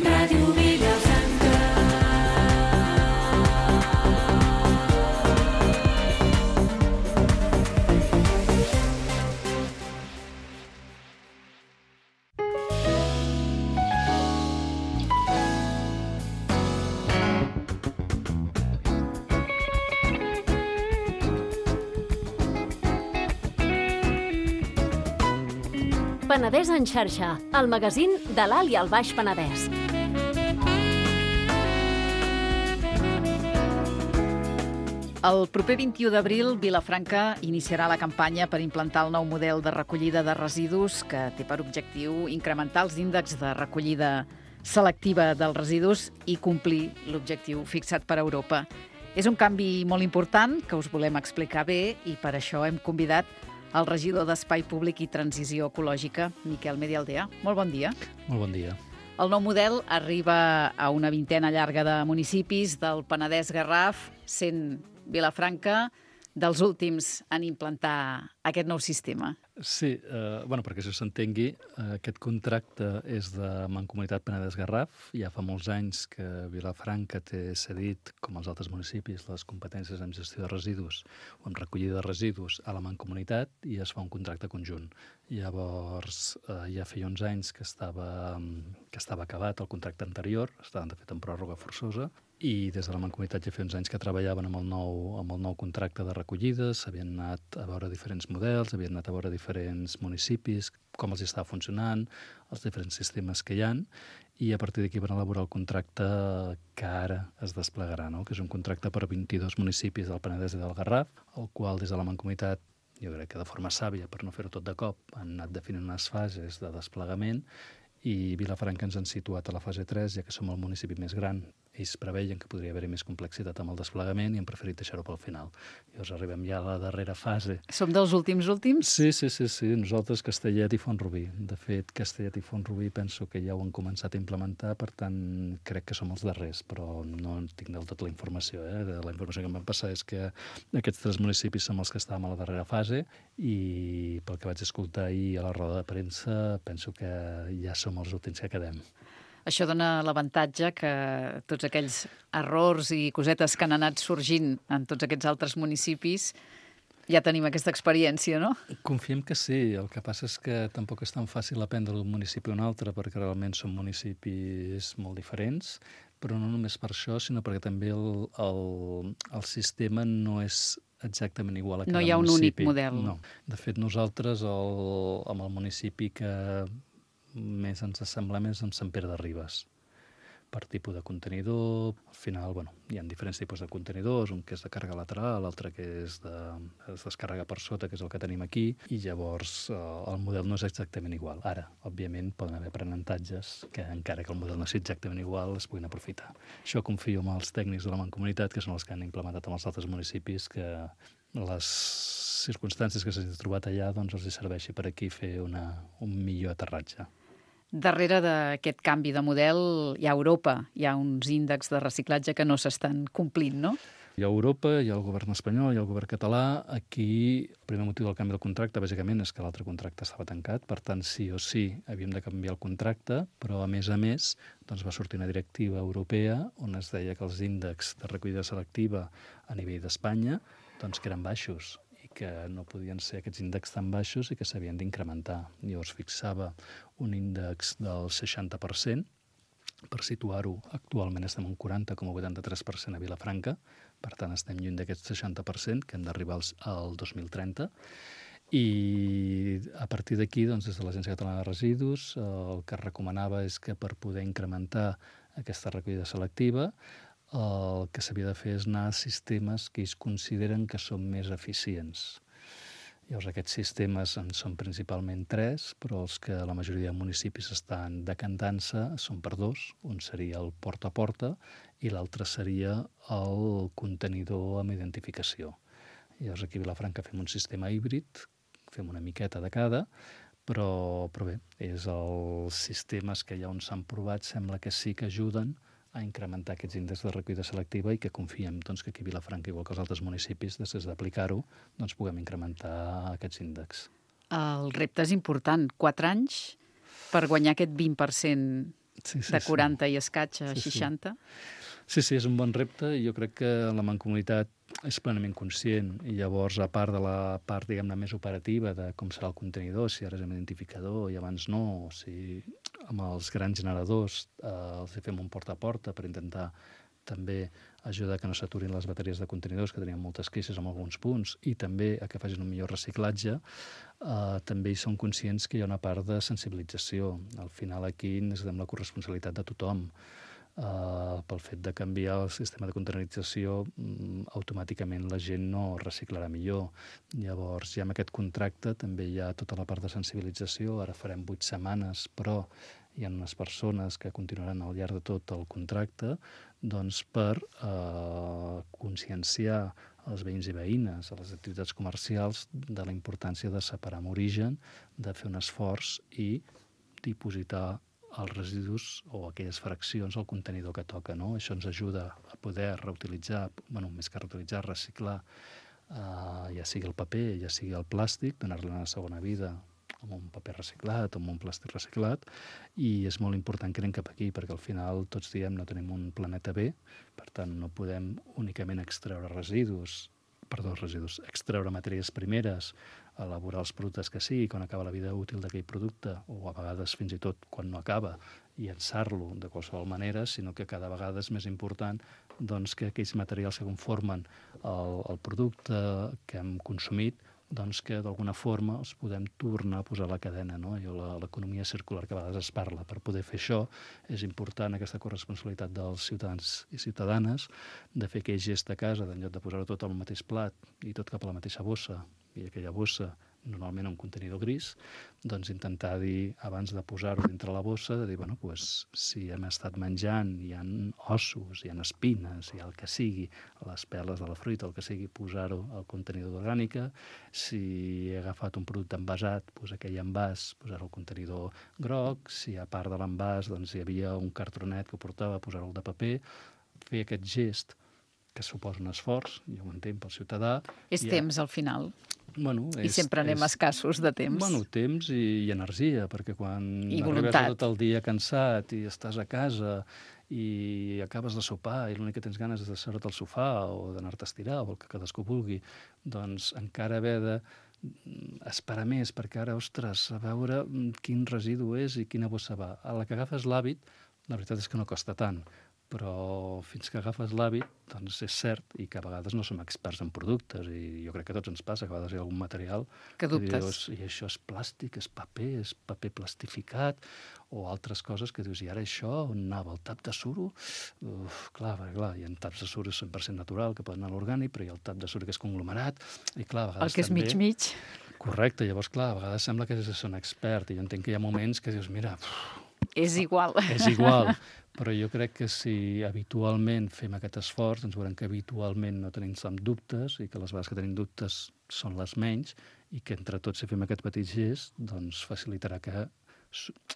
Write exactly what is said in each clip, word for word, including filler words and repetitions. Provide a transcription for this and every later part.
Ràdio Vilafranca. Penedès en xarxa, el magazín de l'Alt i el Baix Penedès. El proper vint-i-u d'abril, Vilafranca iniciarà la campanya per implantar el nou model de recollida de residus que té per objectiu incrementar els índexs de recollida selectiva dels residus i complir l'objectiu fixat per Europa. És un canvi molt important que us volem explicar bé i per això hem convidat el regidor d'Espai Públic i Transició Ecològica, Miquel Medialdea. Molt bon dia. Molt bon dia. El nou model arriba a una vintena llarga de municipis del Penedès-Garraf, sent Vilafranca dels últims en implantar aquest nou sistema. Sí, eh, bueno, perquè això s'entengui, eh, aquest contracte és de Mancomunitat Penedès-Garraf. Ja fa molts anys que Vilafranca té cedit, com els altres municipis, les competències en gestió de residus o en recollida de residus a la Mancomunitat i es fa un contracte conjunt. Llavors, eh, ja feia uns anys que estava, que estava acabat el contracte anterior, estaven de fet en pròrroga forçosa, i des de la Mancomunitat ja feia uns anys que treballaven amb el nou, amb el nou contracte de recollida, s'havien anat a veure diferents models, havien anat a veure diferents municipis, com els estava funcionant, els diferents sistemes que hi ha, i a partir d'aquí van elaborar el contracte que ara es desplegarà, no? Que és un contracte per vint-i-dos municipis del Penedès i del Garraf, el qual des de la Mancomunitat, jo crec que de forma sàvia, per no fer-ho tot de cop, han anat definint unes fases de desplegament i Vilafranca ens han situat a la fase tres, ja que som el municipi més gran. Ells preveien que podria haver-hi més complexitat amb el desplegament i han preferit deixar-ho pel final. Llavors arribem ja a la darrera fase. Som dels últims últims? Sí, sí, sí, sí. Nosaltres, Castellet i Font-rubí. De fet, Castellet i Font-rubí penso que ja ho han començat a implementar, per tant, crec que som els darrers, però no tinc del tot la informació. Eh? La informació que em van passar és que aquests tres municipis som els que estàvem a la darrera fase i pel que vaig escoltar ahir a la roda de premsa, penso que ja som els últims que quedem. Això dona l'avantatge que tots aquells errors i cosetes que han anat sorgint en tots aquests altres municipis ja tenim aquesta experiència, no? Confiem que sí. El que passa és que tampoc és tan fàcil aprendre d'un municipi a un altre perquè realment són municipis molt diferents, però no només per això, sinó perquè també el, el, el sistema no és exactament igual a cada municip. No hi ha un municipi. únic model. No. De fet, nosaltres, el, amb el municipi que més ens assemblem és amb Sant Pere de Ribes. Per tipus de contenidor, al final, bueno, hi ha diferents tipus de contenidors, un que és de càrrega lateral, l'altre que és de es descàrrega per sota, que és el que tenim aquí, i llavors eh, el model no és exactament igual. Ara, òbviament, poden haver aprenentatges que, encara que el model no sigui exactament igual, es puguin aprofitar. Això confio en els tècnics de la Mancomunitat, que són els que han implementat amb els altres municipis, que les circumstàncies que s'han trobat allà doncs, els serveixi per aquí fer una, un millor aterratge. Darrere d'aquest canvi de model hi ha Europa, hi ha uns índexs de reciclatge que no s'estan complint, no? Hi ha Europa, hi ha el govern espanyol, hi ha el govern català. Aquí el primer motiu del canvi del contracte, bàsicament, és que l'altre contracte estava tancat, per tant, sí o sí havíem de canviar el contracte, però a més a més doncs, va sortir una directiva europea on es deia que els índexs de recollida selectiva a nivell d'Espanya doncs, que eren baixos, que no podien ser aquests índexs tan baixos i que s'havien d'incrementar. Llavors fixava un índex del seixanta per cent, per situar-ho, actualment estem en quaranta coma vuitanta-tres per cent a Vilafranca, per tant estem lluny d'aquest seixanta per cent que hem d'arribar al dos mil trenta, i a partir d'aquí, doncs, des de l'Agència Catalana de Residus, el que es recomanava és que per poder incrementar aquesta recollida selectiva el que s'havia de fer és anar a sistemes que ells consideren que són més eficients. Llavors, aquests sistemes en són principalment tres, però els que la majoria de municipis estan decantant-se són per dos. Un seria el porta a porta i l'altre seria el contenidor amb identificació. Llavors, aquí a Vilafranca fem un sistema híbrid, fem una miqueta de cada, però, però bé, és els sistemes que ja on s'han provat sembla que sí que ajuden a incrementar aquests índexs de recollida selectiva i que confiem doncs, que aquí a Vilafranca, igual que els altres municipis, després d'aplicar-ho, doncs, puguem incrementar aquests índexs. El repte és important. Quatre anys per guanyar aquest vint per cent Sí, sí, de sí. quaranta i escaig a Sí, sí. seixanta. Sí, sí, és un bon repte i jo crec que la Mancomunitat és plenament conscient i llavors, a part de la part, diguem-ne, més operativa de com serà el contenidor, si ara és amb identificador i abans no, o si amb els grans generadors eh, els hi fem un porta a porta per intentar també ajudar que no s'aturin les bateries de contenidors, que tenien moltes queixes en alguns punts, i també a que facin un millor reciclatge, eh, també hi són conscients que hi ha una part de sensibilització. Al final aquí necessitem la corresponsabilitat de tothom. Uh, pel fet de canviar el sistema de containerització, um, automàticament la gent no reciclarà millor. Llavors, ja amb aquest contracte també hi ha tota la part de sensibilització. Ara farem vuit setmanes, però hi ha unes persones que continuaran al llarg de tot el contracte doncs, per uh, conscienciar els veïns i veïnes a les activitats comercials de la importància de separar amb origen, de fer un esforç i dipositar els residus o aquelles fraccions al contenidor que toca, no? Això ens ajuda a poder reutilitzar, bueno, més que reutilitzar, reciclar, eh, ja sigui el paper, ja sigui el plàstic, donar-li una segona vida amb un paper reciclat, amb un plàstic reciclat, i és molt important que anem cap aquí, perquè al final tots diem no tenim un planeta B, per tant no podem únicament extreure residus, perdó, residus, extreure matèries primeres, elaborar els productes que sigui, quan acaba la vida útil d'aquell producte, o a vegades fins i tot quan no acaba, i llançar-lo de qualsevol manera, sinó que cada vegada és més important doncs, que aquells materials que conformen el, el producte que hem consumit, doncs que d'alguna forma els podem tornar a posar a la cadena, no? L'economia circular que a vegades es parla. Per poder fer això és important aquesta corresponsabilitat dels ciutadans i ciutadanes de fer aquell gest a casa, d'en lloc de posar-ho tot al mateix plat i tot cap a la mateixa bossa, i aquella bossa normalment un contenidor gris, doncs intentar dir, abans de posar-ho dintre la bossa, de dir, bueno, pues, si hem estat menjant, hi ha ossos, hi ha espines, hi ha el que sigui, les peles de la fruita, el que sigui, posar-ho al contenidor d'orgànica. Si he agafat un producte envasat, pues, aquell envàs, posar-ho al contenidor groc. Si a part de l'envàs doncs, hi havia un cartronet que ho portava, posar-ho de paper. Fer aquest gest que suposa un esforç, jo ho entenc, pel ciutadà. És I temps, al final. Bueno, I és, sempre anem és, escassos de temps. Bueno, temps i, i energia, perquè quan I arribes voluntat. tot el dia cansat i estàs a casa i acabes de sopar i l'únic que tens ganes és de seure't al sofà o d'anar-te a estirar o el que cadascú vulgui, doncs encara haver de esperar més, perquè ara, ostres, a veure quin residu és i quina bossa va. A la que agafes l'hàbit, la veritat és que no costa tant, però fins que agafes l'hàbit, doncs és cert, i que a vegades no som experts en productes, i jo crec que a tots ens passa, que a vegades hi ha algun material que dubtes. dius, i això és plàstic, és paper, és paper plastificat, o altres coses que dius, i ara això, on anava, el tap de suro? Uf, clar, perquè, clar, hi ha taps de suro cent per cent natural, que poden anar a l'orgànic, però hi ha el tap de suro que és conglomerat, i clar, a vegades El que és també... mig-mig. Correcte, llavors, clar, a vegades sembla que és un expert, i jo entenc que hi ha moments que dius, mira... Uf, és igual. És igual, però jo crec que si habitualment fem aquest esforç, doncs veurem que habitualment no tenim tant dubtes i que les vegades que tenim dubtes són les menys i que entre tots si fem aquest petit gest doncs facilitarà que,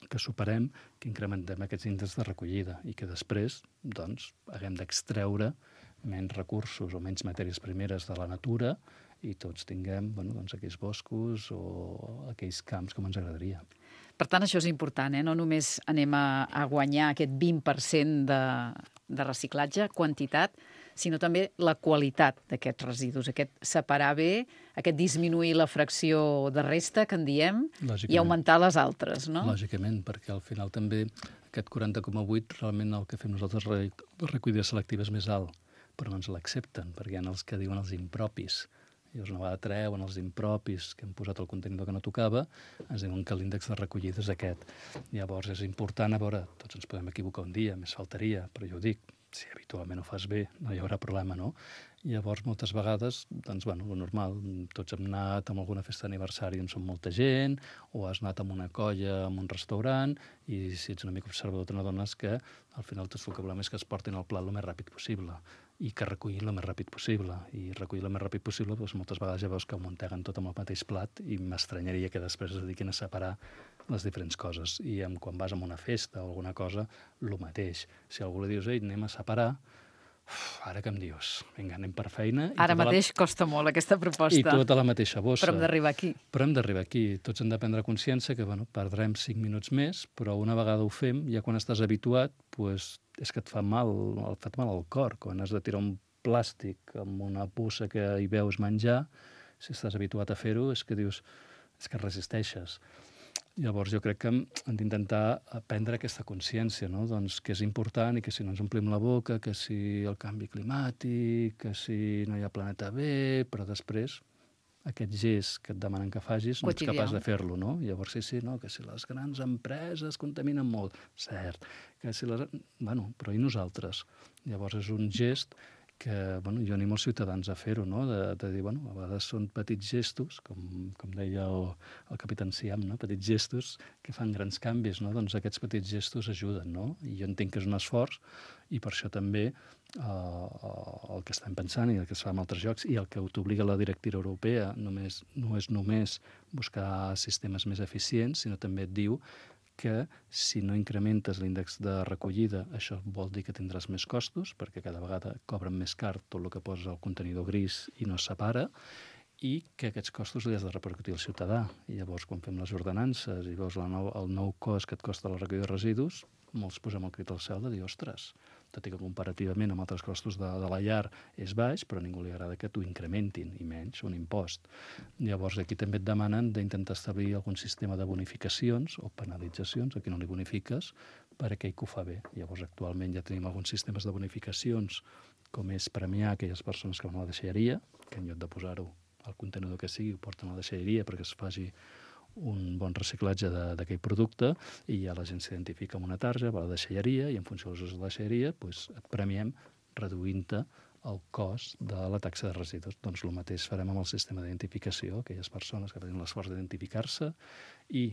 que superem, que incrementem aquests índexs de recollida i que després doncs, haguem d'extreure menys recursos o menys matèries primeres de la natura i tots tinguem bueno, doncs, aquells boscos o aquells camps com ens agradaria. Per tant, això és important, eh? No només anem a, a guanyar aquest vint per cent de, de reciclatge, quantitat, sinó també la qualitat d'aquests residus, aquest separar bé, aquest disminuir la fracció de resta, que en diem, i augmentar les altres, no? Lògicament, perquè al final també aquest quaranta coma vuit realment el que fem nosaltres de recollida selectiva és més alt, però no ens l'accepten, perquè hi ha els que diuen els impropis. Llavors, una vegada treuen els impropis que hem posat al contenidor que no tocava, ens diuen que l'índex de recollida és aquest. Llavors, és important, a veure, tots ens podem equivocar un dia, més faltaria, però jo ho dic, si habitualment ho fas bé, no hi haurà problema, no? Llavors, moltes vegades, doncs, bueno, lo normal, tots hem anat a alguna festa d'aniversari on som molta gent, o has anat a una colla, a un restaurant, i si ets una mica observador, te n'adones que al final tot el que volem és que es portin el plat el més ràpid possible i que recullin el més ràpid possible. I recollir el més ràpid possible, doncs, moltes vegades ja veus que ho munteguen tot amb el mateix plat i m'estranyaria que després es dediquin a separar les diferents coses. I quan vas a una festa o alguna cosa, el mateix. Si algú li dius, ei, anem a separar, Uf, ara que em dius? Vinga, anem per feina. I Ara tota mateix la... costa molt aquesta proposta. I tota la mateixa bossa. Però hem d'arribar aquí. Però hem d'arribar aquí. Tots hem de prendre consciència que bueno, perdrem cinc minuts més, però una vegada ho fem, ja quan estàs habituat, pues, és que et fa mal, et fa mal al cor. Quan has de tirar un plàstic amb una bossa que hi veus menjar, si estàs habituat a fer-ho, és que dius, és que resisteixes. Llavors jo crec que hem d'intentar prendre aquesta consciència, no? Doncs que és important i que si no ens omplim la boca, que si el canvi climàtic, que si no hi ha planeta B, però després aquest gest que et demanen que facis no ets capaç de fer-lo, no? Llavors sí, sí, no, que si les grans empreses contaminen molt, cert, que si les... Bueno, però i nosaltres? Llavors és un gest que bueno, jo animo els ciutadans a fer-ho, no? de, de dir, bueno, a vegades són petits gestos, com, com deia el, el capità Siam, no? Petits gestos que fan grans canvis, no? Doncs aquests petits gestos ajuden, no? I jo entenc que és un esforç i per això també eh, el que estem pensant i el que es fa en altres llocs i el que t'obliga la directiva europea només, no és només buscar sistemes més eficients, sinó també et diu que si no incrementes l'índex de recollida, això vol dir que tindràs més costos, perquè cada vegada cobren més car tot el que posa el contenidor gris i no es separa, i que aquests costos li has de repercutir al ciutadà. I llavors, quan fem les ordenances i veus el nou, el nou cost que et costa la recollida de residus, molts posem el crit al cel de dir, ostres, tot i que comparativament amb altres costos de, de la llar és baix, però a ningú li agrada que t'ho incrementin, i menys un impost. Llavors, aquí també et demanen d'intentar establir algun sistema de bonificacions o penalitzacions, a qui no li bonifiques, per a aquell que ho fa bé. Llavors, actualment ja tenim alguns sistemes de bonificacions, com és premiar aquelles persones que van a la deixalleria, que en lloc de posar-ho al contenidor que sigui, ho porten a la deixalleria perquè es faci un bon reciclatge d'aquell producte i ja la gent s'identifica amb una tarja, va a la deixalleria i en funció dels usos de la deixalleria doncs et premiem reduint-te el cost de la taxa de residus. Doncs el mateix farem amb el sistema d'identificació, aquelles persones que tenen l'esforç d'identificar-se i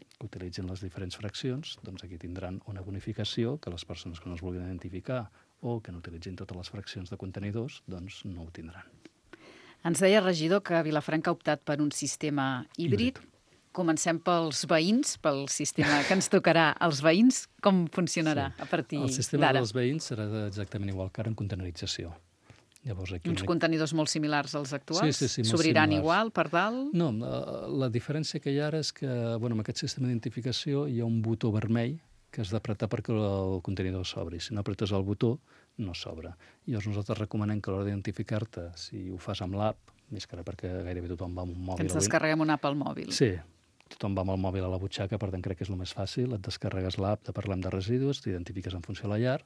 que utilitzin les diferents fraccions, doncs aquí tindran una bonificació que les persones que no es vulguin identificar o que no utilitzin totes les fraccions de contenidors, doncs no ho tindran. Ens deia, regidor, que Vilafranca ha optat per un sistema híbrid. híbrid. Comencem pels veïns, pel sistema que ens tocarà als veïns. Com funcionarà sí. a partir d'ara? El sistema dels veïns serà exactament igual que ara en contenerització. Llavors, aquí Uns una... contenidors molt similars als actuals? Sí, sí, sí, s'obriran igual per dalt? No, la, la diferència que hi ha ara és que bueno, amb aquest sistema d'identificació hi ha un botó vermell que has d'apretar perquè el contenidor s'obri. Si no apretes el botó, no s'obre. Llavors nosaltres recomanem que a l'hora d'identificar-te, si ho fas amb l'app, més que ara perquè gairebé tothom va amb un mòbil... Que ens descarreguem una app al mòbil. Sí, tothom va amb el mòbil a la butxaca, per tant crec que és el més fàcil. Et descarregues l'app de Parlem de Residus, t'identifiques en funció de la llar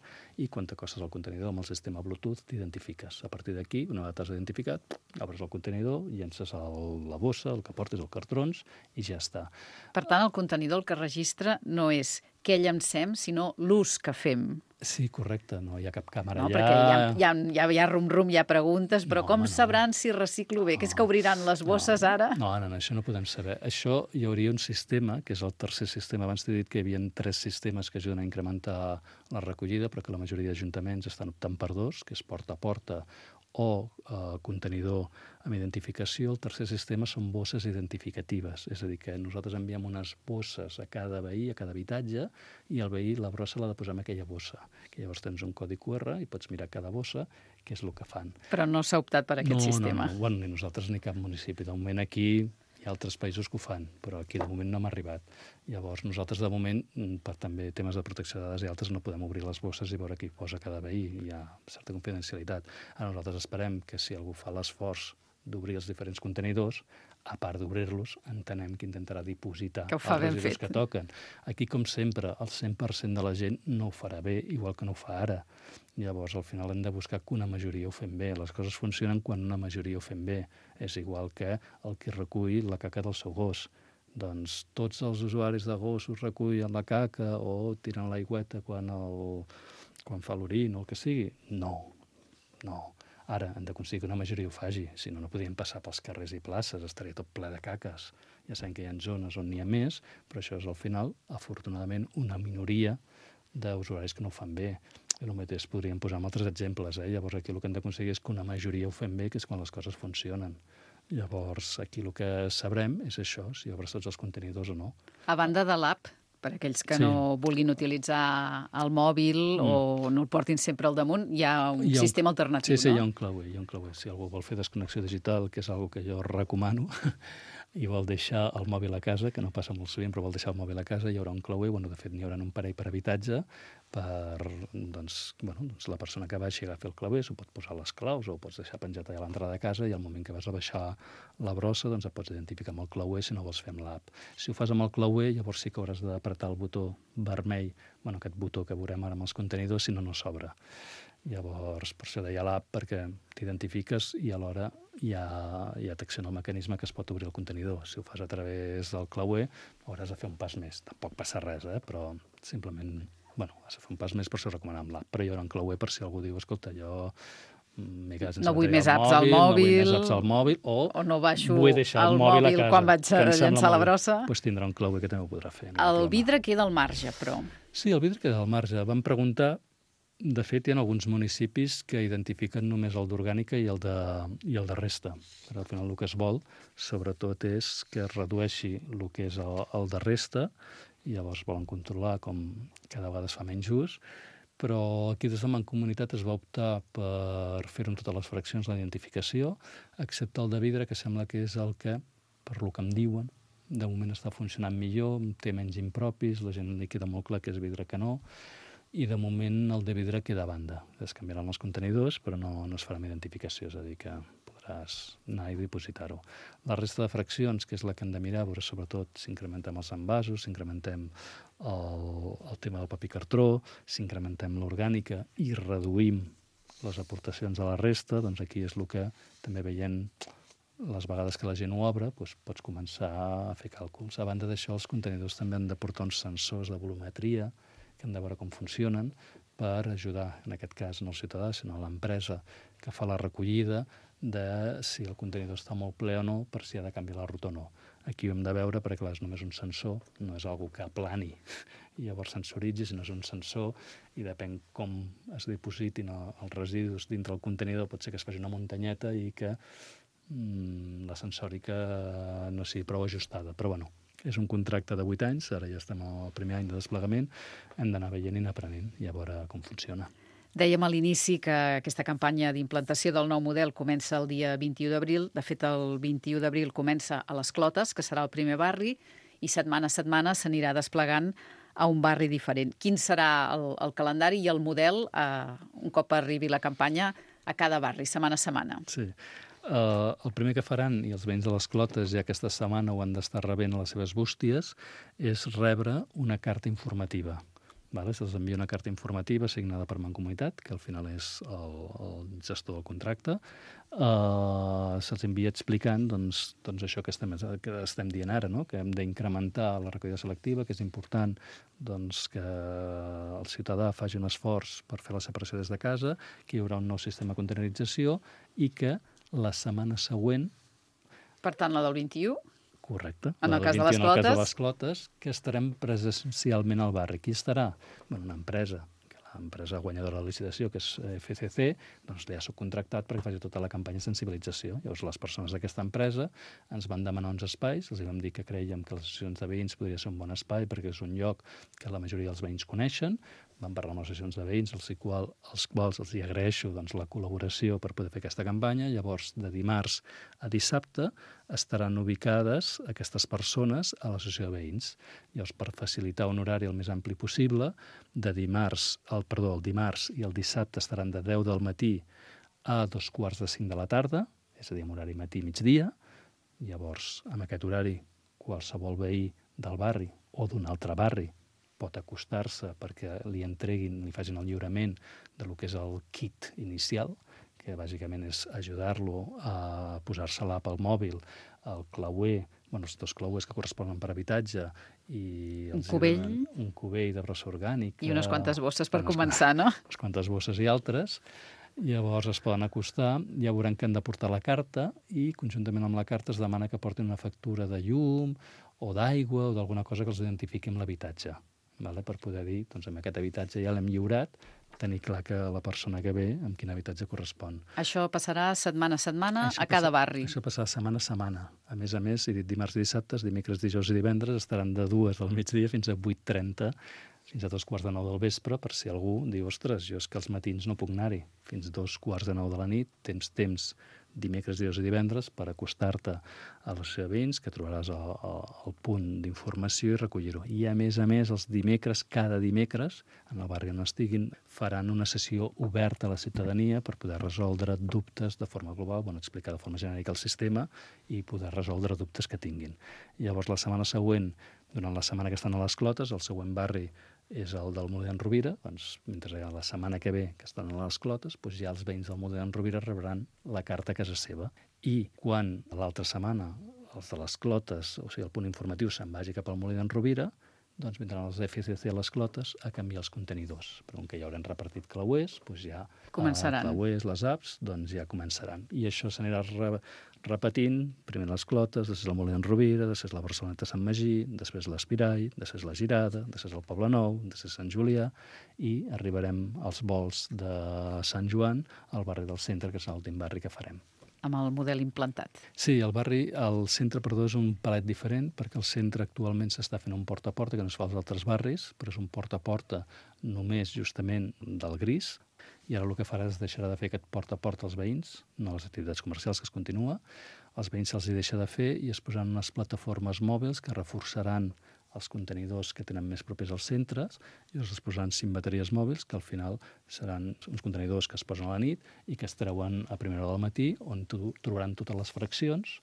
i quan t'acostes al contenidor amb el sistema Bluetooth t'identifiques. A partir d'aquí, una vegada t'has identificat, obres el contenidor, llences el, la bossa, el que portes, els cartrons i ja està. Per tant, el contenidor el que registra no és què llancem, sinó l'ús que fem. Sí, correcte, no hi ha cap càmera no, allà. Perquè hi ha, hi, ha, hi, ha, hi ha rum-rum, hi ha preguntes, però no, com home, sabran no. si reciclo bé? No. Que és que obriran les bosses no, ara? No, no, no, això no podem saber. Això hi hauria un sistema, que és el tercer sistema. Abans t'he dit que hi havia tres sistemes que ajuden a incrementar la recollida, però que la majoria d'ajuntaments estan optant per dos, que és porta a porta o eh, contenidor amb identificació. El tercer sistema són bosses identificatives, és a dir, que nosaltres enviem unes bosses a cada veí, a cada habitatge, i el veí la brossa l'ha de posar en aquella bossa, que llavors tens un codi cu erre i pots mirar cada bossa què és el que fan. Però no s'ha optat per aquest no, sistema. No, no, bueno, ni nosaltres ni cap municipi. De moment aquí hi ha altres països que ho fan, però aquí de moment no hem arribat. Llavors, nosaltres de moment, per també temes de protecció de dades i altres, no podem obrir les bosses i veure què hi posa cada veí. Hi ha certa confidencialitat. Ara nosaltres esperem que si algú fa l'esforç d'obrir els diferents contenidors, a part d'obrir-los, entenem que intentarà dipositar que els residus que toquen. Aquí, com sempre, el cent per cent de la gent no ho farà bé, igual que no ho fa ara. Llavors, al final hem de buscar que una majoria ho fem bé. Les coses funcionen quan una majoria ho fem bé. És igual que el que recull la caca del seu gos. Doncs tots els usuaris de gossos recullen la caca o tiren l'aigüeta quan, el, quan fa l'orin o el que sigui. No, no. Ara hem d'aconseguir que una majoria ho faci, si no, no podríem passar pels carrers i places, estaria tot ple de caques. Ja sabem que hi ha zones on n'hi ha més, però això és al final, afortunadament, una minoria d'usuaris que no ho fan bé. I el mateix podríem posar amb altres exemples. Eh? Llavors aquí el que hem d'aconseguir és que una majoria ho fem bé, que és quan les coses funcionen. Llavors aquí el que sabrem és això, si obres tots els contenidors o no. A banda de l'app, per aquells que Sí. no vulguin utilitzar el mòbil Mm. o no el portin sempre al damunt, hi ha un Hi ha un- sistema alternatiu, Sí, sí, no? hi ha un clauer, hi ha un clauer. Si algú vol fer desconnexió digital, que és algo que jo recomano, i vol deixar el mòbil a casa, que no passa molt sovint, però vol deixar el mòbil a casa, hi haurà un clauer, bueno, de fet n'hi haurà un parell per habitatge, per doncs, bueno, doncs la persona que baixi agafi el clauer, s'ho pot posar a les claus o ho pots deixar penjat allà a l'entrada de casa i al moment que vas a baixar la brossa doncs et pots identificar amb el clauer si no vols fer amb l'app. Si ho fas amb el clauer, llavors sí que hauràs d'apretar el botó vermell, bueno, aquest botó que veurem ara amb els contenidors, si no, no s'obre. Llavors, per això deia l'app, perquè t'identifiques i alhora ja, ja t'acciona el mecanisme que es pot obrir el contenidor. Si ho fas a través del clauer, hauràs de fer un pas més. Tampoc passa res, eh? Però simplement, bueno, has de fer un pas més, per això recomanar amb l'app. Però hi haurà un clauer per si algú diu, escolta, jo m'he quedat sense No vull bateria més apps al no vull mòbil, més apps al mòbil, o, o no baixo vull deixar el el mòbil, mòbil a casa, quan vaig que em sembla llançar la molt bé. brossa. Doncs pues tindrà un clauer que també ho podrà fer. No hi ha El problema. vidre queda al marge, però. Sí, el vidre queda al marge. Vam preguntar, de fet, hi ha alguns municipis que identifiquen només el d'orgànica i el de, i el de resta. Però al final el que es vol, sobretot, és que es redueixi el que és el, el de resta, i llavors volen controlar com cada vegada es fa menys ús, però aquí des de Mancomunitat es va optar per fer-ho en totes les fraccions la identificació, excepte el de vidre, que sembla que és el que, per lo que em diuen, de moment està funcionant millor, té menys impropis, la gent li queda molt clar que és vidre que no, i de moment el de vidre queda a banda. Es canviaran els contenidors, però no, no es farà amb identificació, és a dir, que podràs anar i dipositar-ho. La resta de fraccions, que és la que hem de mirar, veure sobretot si incrementem els envasos, si incrementem el, el tema del paper cartró, si incrementem l'orgànica i reduïm les aportacions a la resta, doncs aquí és el que també veient les vegades que la gent ho obre, doncs pots començar a fer càlculs. A banda d'això, els contenidors també han de portar uns sensors de volumetria, que hem de veure com funcionen, per ajudar, en aquest cas, no el ciutadà, sinó l'empresa que fa la recollida de si el contenidor està molt ple o no, per si ha de canviar la ruta o no. Aquí ho hem de veure perquè, clar, és només un sensor, no és algo que aplani i llavors sensoritzi, sinó és un sensor i depèn com es dipositin els residus dintre el contenidor, pot ser que es faci una muntanyeta i que mm, la sensòrica no sigui prou ajustada. Però, bueno, és un contracte de vuit anys, ara ja estem al primer any de desplegament, hem d'anar veient i anar aprenent i a veure com funciona. Dèiem a l'inici que aquesta campanya d'implantació del nou model comença el dia vint-i-u d'abril. De fet, el vint-i-u d'abril comença a les Clotes, que serà el primer barri, i setmana a setmana s'anirà desplegant a un barri diferent. Quin serà el, el calendari i el model, eh, un cop arribi la campanya, a cada barri, setmana a setmana? Sí. Uh, el primer que faran, i els veïns de les Clotes ja aquesta setmana ho han d'estar rebent a les seves bústies, és rebre una carta informativa. Vale? Se'ls envia una carta informativa signada per Mancomunitat, que al final és el, el gestor del contracte. Uh, Se'ls envia explicant doncs, doncs això que estem, que estem dient ara, no? Que hem d'incrementar la recollida selectiva, que és important doncs, que el ciutadà faci un esforç per fer la separació des de casa, que hi haurà un nou sistema de containerització i que la setmana següent... Per tant, la del vint-i-u? Correcte. En el la cas de les vint i u, en el cas de Clotes? les Clotes, que estarem presencialment al barri. Qui estarà? Bueno, una empresa, que l'empresa guanyadora de la licitació, que és F C C, doncs ja ha subcontractat perquè faci tota la campanya de sensibilització. Llavors, les persones d'aquesta empresa ens van demanar uns espais, els vam dir que creiem que les associacions de veïns podria ser un bon espai perquè és un lloc que la majoria dels veïns coneixen. Vam parlar amb les associacions de veïns, als, qual, als quals els hi agraeixo doncs, la col·laboració per poder fer aquesta campanya. Llavors, de dimarts a dissabte estaran ubicades aquestes persones a l'associació de veïns. Llavors, per facilitar un horari el més ampli possible, de dimarts, el, perdó, el dimarts i el dissabte estaran de deu del matí a dos quarts de cinc de la tarda, és a dir, en horari matí-migdia. Llavors, amb aquest horari, qualsevol veí del barri o d'un altre barri pot acostar-se perquè li entreguin, li facin el lliurament de lo que és el kit inicial, que bàsicament és ajudar-lo a posar-se l'app al mòbil, el clauer, bueno, els dos clauers que corresponen per habitatge, i un cubell, un cubell de brossa orgànica. I unes quantes bosses per unes, començar, no? Unes quantes bosses i altres. Llavors es poden acostar, ja veuran que han de portar la carta i conjuntament amb la carta es demana que portin una factura de llum o d'aigua o d'alguna cosa que els identifiqui amb l'habitatge. Vale? Per poder dir, doncs, amb aquest habitatge ja l'hem lliurat, tenir clar que la persona que ve amb quin habitatge correspon. Això passarà setmana a setmana Això a cada passa, barri. Això passarà setmana a setmana. A més a més, he dit dimarts i dissabtes, dimecres, dijous i divendres, estaran de dues del migdia fins a vuit trenta, fins a dos quarts de nou del vespre, per si algú diu, ostres, jo és que els matins no puc anar-hi. Fins dos quarts de nou de la nit, tens temps dimecres, dijous i divendres per acostar-te a les veïns, que trobaràs el, el, el punt d'informació i recollir-ho. I a més a més, els dimecres, cada dimecres, en el barri on estiguin, faran una sessió oberta a la ciutadania per poder resoldre dubtes de forma global, bueno, explicar de forma genèrica el sistema i poder resoldre dubtes que tinguin. Llavors, la setmana següent, durant la setmana que estan a les Clotes, el següent barri és el del Molí d'en Rovira, doncs, mentre hi ha la setmana que ve que estan a les Clotes, doncs ja els veïns del Molí d'en Rovira rebran la carta a casa seva. I quan l'altra setmana els de les Clotes, o sigui, el punt informatiu se'n vagi cap al Molí d'en Rovira, doncs vindran els F C C a les Clotes a canviar els contenidors. Però com que ja haurem repartit clauers, doncs ja començaran. Eh, clauers, les apps, doncs ja començaran. I això s'anirà re repetint, primer les Clotes, després el Molí d'en Rovira, després la Barceloneta Sant Magí, després l'Espirall, després la Girada, després el Poble Nou, després Sant Julià, i arribarem als vols de Sant Joan, al barri del centre, que és l'últim barri que farem. Amb el model implantat. Sí, el barri, el centre, perdó, és un palet diferent, perquè el centre actualment s'està fent un porta a porta, que no es fa als altres barris, però és un porta a porta només justament del gris, i ara el que farà és deixarà de fer aquest porta a porta als veïns, no les activitats comercials, que es continua. Els veïns se'ls hi deixa de fer i es posaran unes plataformes mòbils que reforçaran els contenidors que tenen més propers als centres i els posaran cinc bateries mòbils que al final seran uns contenidors que es posen a la nit i que es treuen a primera hora del matí, on trobaran totes les fraccions,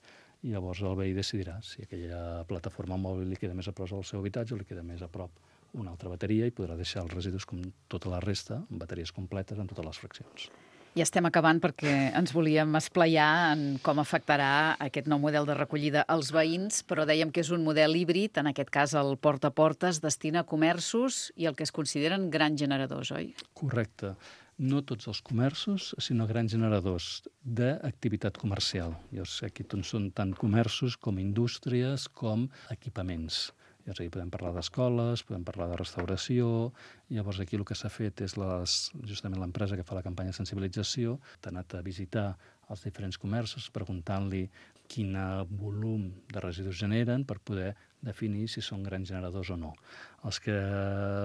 i llavors el veí decidirà si aquella plataforma mòbil li queda més a prop al seu habitatge o li queda més a prop una altra bateria, i podrà deixar els residus com tota la resta, amb bateries completes en totes les fraccions. Ja estem acabant perquè ens volíem esplaiar en com afectarà aquest nou model de recollida als veïns, però dèiem que és un model híbrid, en aquest cas el porta a porta es destina a comerços i el que es consideren grans generadors, oi? Correcte. No tots els comerços, sinó grans generadors d'activitat comercial. Llavors, aquí són tant comerços com indústries com equipaments. Llavors, aquí podem parlar d'escoles, podem parlar de restauració. Llavors, aquí el que s'ha fet és les, justament l'empresa que fa la campanya de sensibilització, ha anat a visitar els diferents comerços preguntant-li quin volum de residus generen per poder definir si són grans generadors o no. Els que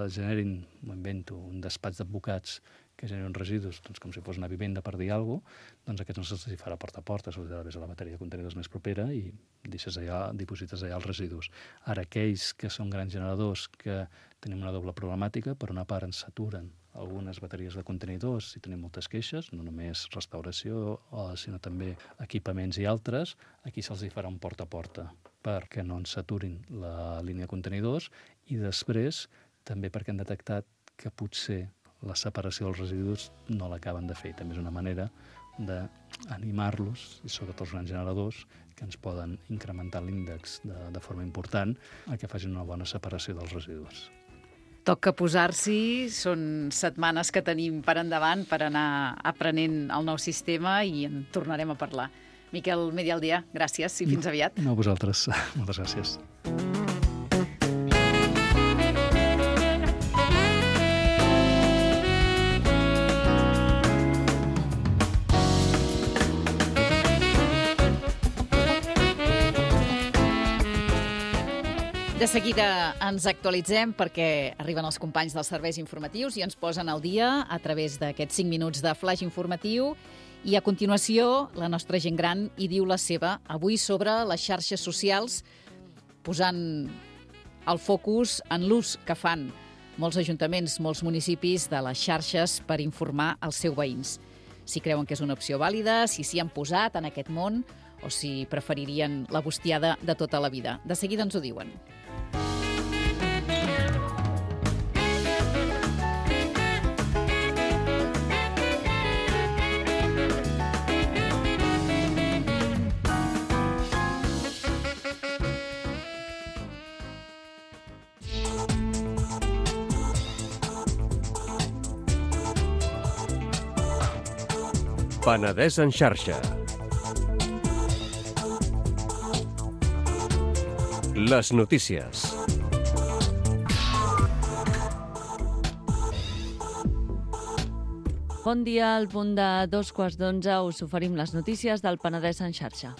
generin, m'ho invento, un despatx d'advocats que generen residus, doncs, com si fos una vivenda per dir alguna cosa, doncs aquests no se'ls farà porta a porta, se'ls ha de a la bateria de contenidors més propera i deixes allà, diposites allà els residus. Ara, aquells que són grans generadors, que tenim una doble problemàtica, per una part ens saturen algunes bateries de contenidors i tenim moltes queixes, no només restauració, sinó també equipaments i altres, aquí se'ls farà un porta a porta perquè no ens saturin la línia de contenidors, i després també perquè han detectat que potser la separació dels residus no l'acaben de fer. També és una manera d'animar-los, i sobretot els grans generadors, que ens poden incrementar l'índex de, de forma important, a que facin una bona separació dels residus. Toca posar-s'hi, són setmanes que tenim per endavant per anar aprenent el nou sistema i en tornarem a parlar. Miquel Medialdea, gràcies i fins aviat. No, vosaltres. Moltes gràcies. De seguida ens actualitzem perquè arriben els companys dels serveis informatius i ens posen al dia a través d'aquests cinc minuts de flash informatiu. I a continuació, la nostra gent gran hi diu la seva, avui sobre les xarxes socials, posant el focus en l'ús que fan molts ajuntaments, molts municipis de les xarxes per informar els seus veïns. Si creuen que és una opció vàlida, si s'hi han posat en aquest món o si preferirien la bustiada de tota la vida. De seguida ens ho diuen. Penedès en xarxa. Les notícies. Bon dia, al punt de dos quarts d'onze us oferim les notícies del Penedès en xarxa.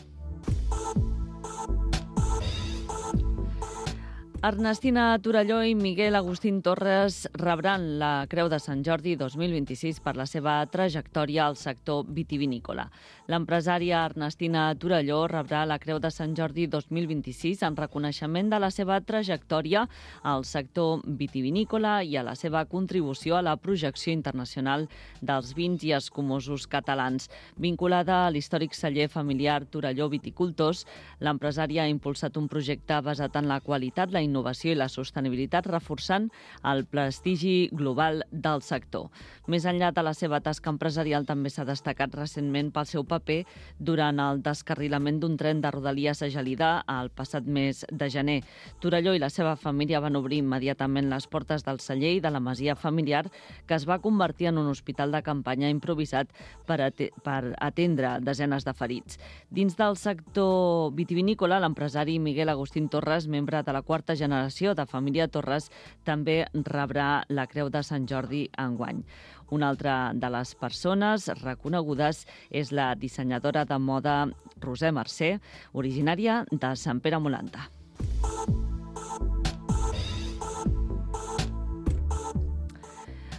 Ernestina Torelló i Miguel Agustín Torres rebran la Creu de Sant Jordi dos mil vint-i-sis per la seva trajectòria al sector vitivinícola. L'empresària Ernestina Torelló rebrà la Creu de Sant Jordi dos mil vint-i-sis en reconeixement de la seva trajectòria al sector vitivinícola i a la seva contribució a la projecció internacional dels vins i escumosos catalans. Vinculada a l'històric celler familiar Torelló Viticultors, l'empresària ha impulsat un projecte basat en la qualitat, la innovació i la sostenibilitat, reforçant el prestigi global del sector. Més enllà de la seva tasca empresarial, també s'ha destacat recentment pel seu paper durant el descarrilament d'un tren de Rodalies a Gelida el passat mes de gener. Torelló i la seva família van obrir immediatament les portes del celler i de la masia familiar, que es va convertir en un hospital de campanya improvisat per, at per atendre desenes de ferits. Dins del sector vitivinícola, l'empresari Miguel Agustín Torres, membre de la quarta generació de família Torres, també rebrà la Creu de Sant Jordi enguany. Una altra de les persones reconegudes és la dissenyadora de moda Roser Mercè, originària de Sant Pere Molanta.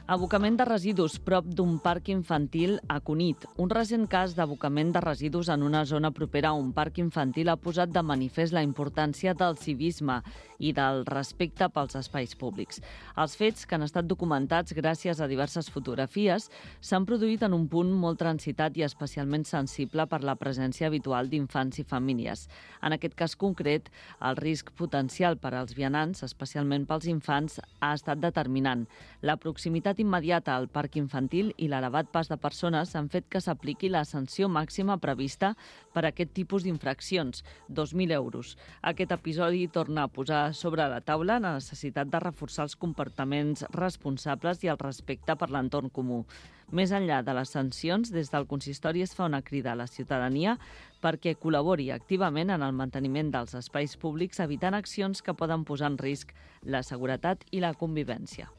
Abocament de residus prop d'un parc infantil a Cunit. Un recent cas d'abocament de residus en una zona propera a un parc infantil ha posat de manifest la importància del civisme i del respecte pels espais públics. Els fets, que han estat documentats gràcies a diverses fotografies, s'han produït en un punt molt transitat i especialment sensible per la presència habitual d'infants i famílies. En aquest cas concret, el risc potencial per als vianants, especialment pels infants, ha estat determinant. La proximitat immediata al parc infantil i l'elevat pas de persones han fet que s'apliqui la sanció màxima prevista per a aquest tipus d'infraccions, dos mil euros. Aquest episodi torna a posar sobre la taula la necessitat de reforçar els comportaments responsables i el respecte per l'entorn comú. Més enllà de les sancions, des del consistori es fa una crida a la ciutadania perquè col·labori activament en el manteniment dels espais públics, evitant accions que poden posar en risc la seguretat i la convivència.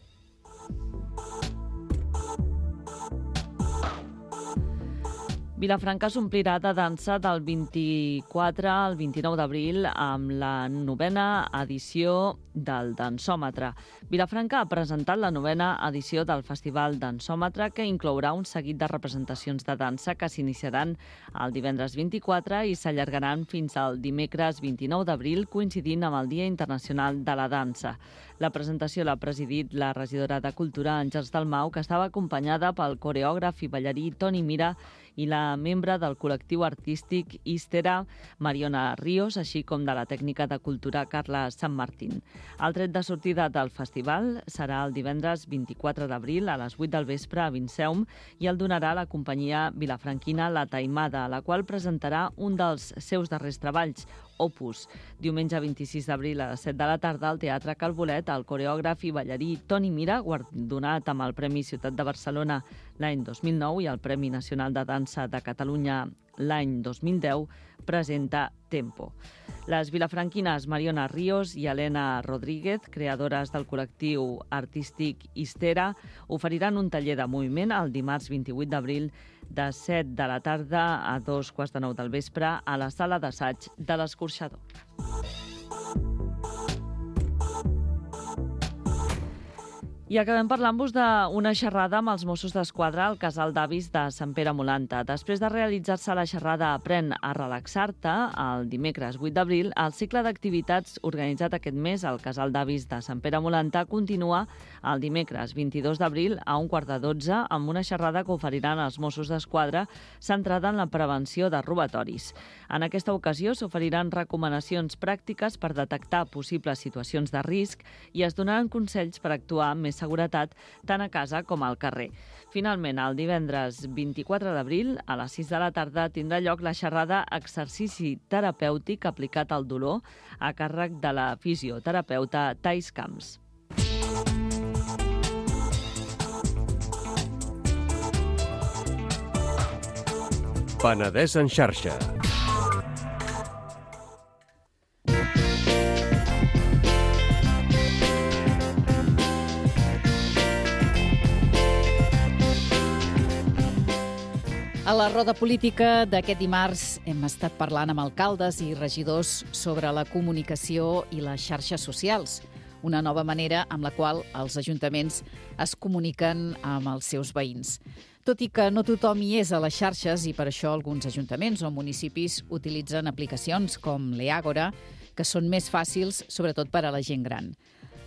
Vilafranca s'omplirà de dansa del vint-i-quatre al vint-i-nou d'abril amb la novena edició del Dansòmetre. Vilafranca ha presentat la novena edició del Festival Dansòmetre, que inclourà un seguit de representacions de dansa que s'iniciaran el divendres vint-i-quatre i s'allargaran fins al dimecres vint-i-nou d'abril, coincidint amb el Dia Internacional de la Dansa. La presentació l'ha presidit la regidora de Cultura, Àngels Dalmau, que estava acompanyada pel coreògraf i ballarí Toni Mira i la membre del col·lectiu artístic Istera, Mariona Ríos, així com de la tècnica de cultura Carla Sant Martín. El tret de sortida del festival serà el divendres vint-i-quatre d'abril a les vuit del vespre a Vinceum i el donarà la companyia vilafranquina La Taimada, la qual presentarà un dels seus darrers treballs, Opus. Diumenge vint-i-sis d'abril a les set de la tarda al Teatre Calbolet, el coreògraf i ballarí Toni Mira, guardonat amb el Premi Ciutat de Barcelona l'any dos mil nou i el Premi Nacional de Dansa de Catalunya l'any dos mil deu, presenta Tempo. Les vilafranquines Mariona Ríos i Helena Rodríguez, creadores del col·lectiu artístic Istera, oferiran un taller de moviment el dimarts vint-i-vuit d'abril de set de la tarda a dos quarts de nou del vespre a la sala d'assaig de l'Escorxador. I acabem parlant-vos d'una xerrada amb els Mossos d'Esquadra al Casal d'Avis de Sant Pere Molanta. Després de realitzar-se la xerrada Aprèn a relaxar-te, el dimecres vuit d'abril, el cicle d'activitats organitzat aquest mes al Casal d'Avis de Sant Pere Molanta continua el dimecres vint-i-dos d'abril a un quart de dotze amb una xerrada que oferiran els Mossos d'Esquadra centrada en la prevenció de robatoris. En aquesta ocasió s'oferiran recomanacions pràctiques per detectar possibles situacions de risc i es donaran consells per actuar amb més seguretat tant a casa com al carrer. Finalment, el divendres vint-i-quatre d'abril, a les sis de la tarda, tindrà lloc la xerrada Exercici terapèutic aplicat al dolor a càrrec de la fisioterapeuta Thais Camps. Penedès en xarxa. A la roda política d'aquest dimarts hem estat parlant amb alcaldes i regidors sobre la comunicació i les xarxes socials, una nova manera amb la qual els ajuntaments es comuniquen amb els seus veïns. Tot i que no tothom hi és a les xarxes i per això alguns ajuntaments o municipis utilitzen aplicacions com l'Eàgora, que són més fàcils, sobretot per a la gent gran.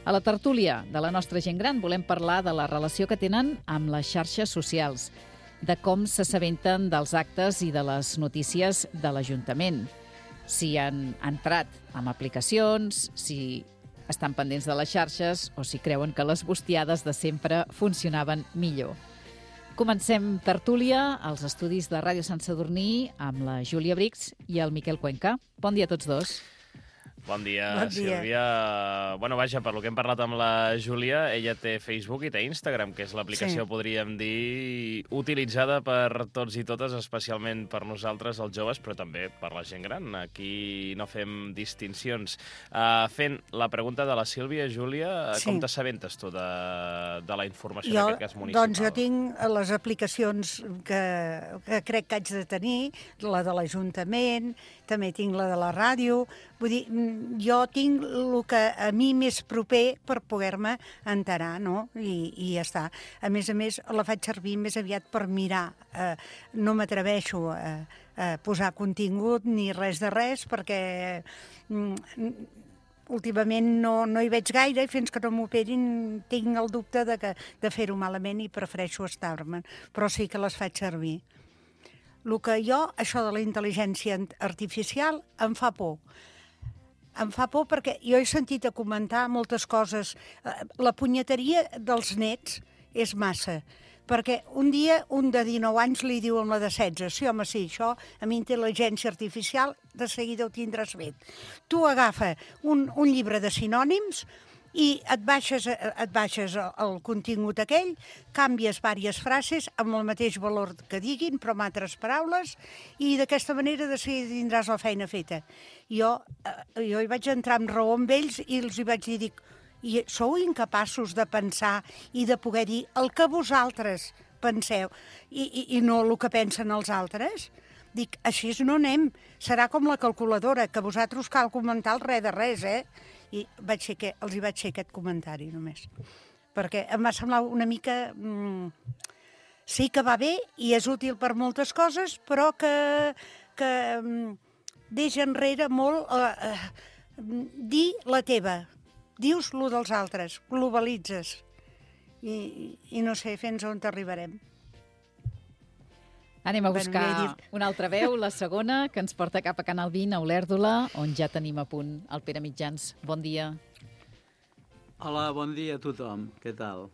A la tertúlia de la nostra gent gran volem parlar de la relació que tenen amb les xarxes socials, de com s'assabenten dels actes i de les notícies de l'Ajuntament, si han entrat amb aplicacions, si estan pendents de les xarxes o si creuen que les bustiades de sempre funcionaven millor. Comencem tertúlia als estudis de Ràdio Sant Sadurní amb la Júlia Brix i el Miquel Cuenca. Bon dia a tots dos. Bon dia, Bon dia. Sílvia. Bueno, vaja, per lo que hem parlat amb la Júlia, ella té Facebook i té Instagram, que és l'aplicació, Sí. podríem dir, utilitzada per tots i totes, especialment per nosaltres, els joves, però també per la gent gran. Aquí no fem distincions. Uh, fent la pregunta de la Sílvia, Júlia, Sí. com t'assabentes tu de, de la informació, Jo, en aquest cas municipal? doncs jo tinc les aplicacions que, que crec que haig de tenir, la de l'Ajuntament, també tinc la de la ràdio. Vull dir, jo tinc el que a mi més proper per poder-me enterar, no? I, i ja està. A més a més, la faig servir més aviat per mirar. Eh, no m'atreveixo a, a posar contingut ni res de res, perquè mm, últimament no, no hi veig gaire i fins que no m'operin tinc el dubte de, que, de fer-ho malament i prefereixo estar-me'n. Però sí que les faig servir. El que jo, això de la intel·ligència artificial, em fa por. Em fa por perquè jo he sentit a comentar moltes coses. La punyeteria dels nets és massa, perquè un dia un de dinou anys li diu a la de setze, sí, home, sí, això amb intel·ligència artificial de seguida ho tindràs fet. Tu agafa un, un llibre de sinònims i et baixes, et baixes el contingut aquell, canvies diverses frases amb el mateix valor que diguin, però amb altres paraules, i d'aquesta manera de seguida tindràs la feina feta. Jo, jo hi vaig entrar amb raó amb ells i els hi vaig dir, dic, i sou incapaços de pensar i de poder dir el que vosaltres penseu i, i, i no el que pensen els altres? Dic, així no anem. Serà com la calculadora, que vosaltres cal comentar el res de res, eh? I vaig fer que, els hi vaig fer aquest comentari només. Perquè em va semblar una mica... Mm, sí que va bé i és útil per moltes coses, però que, que mm, deixa enrere molt eh, eh, dir la teva. Dius lo dels altres, globalitzes. I, i no sé fins on t'arribarem. Anem a Bueno, buscar ja he dit. una altra veu, la segona, que ens porta cap a Canal vint, a Olèrdola, on ja tenim a punt el Pere Mitjans. Bon dia. Hola, bon dia a tothom. Què tal?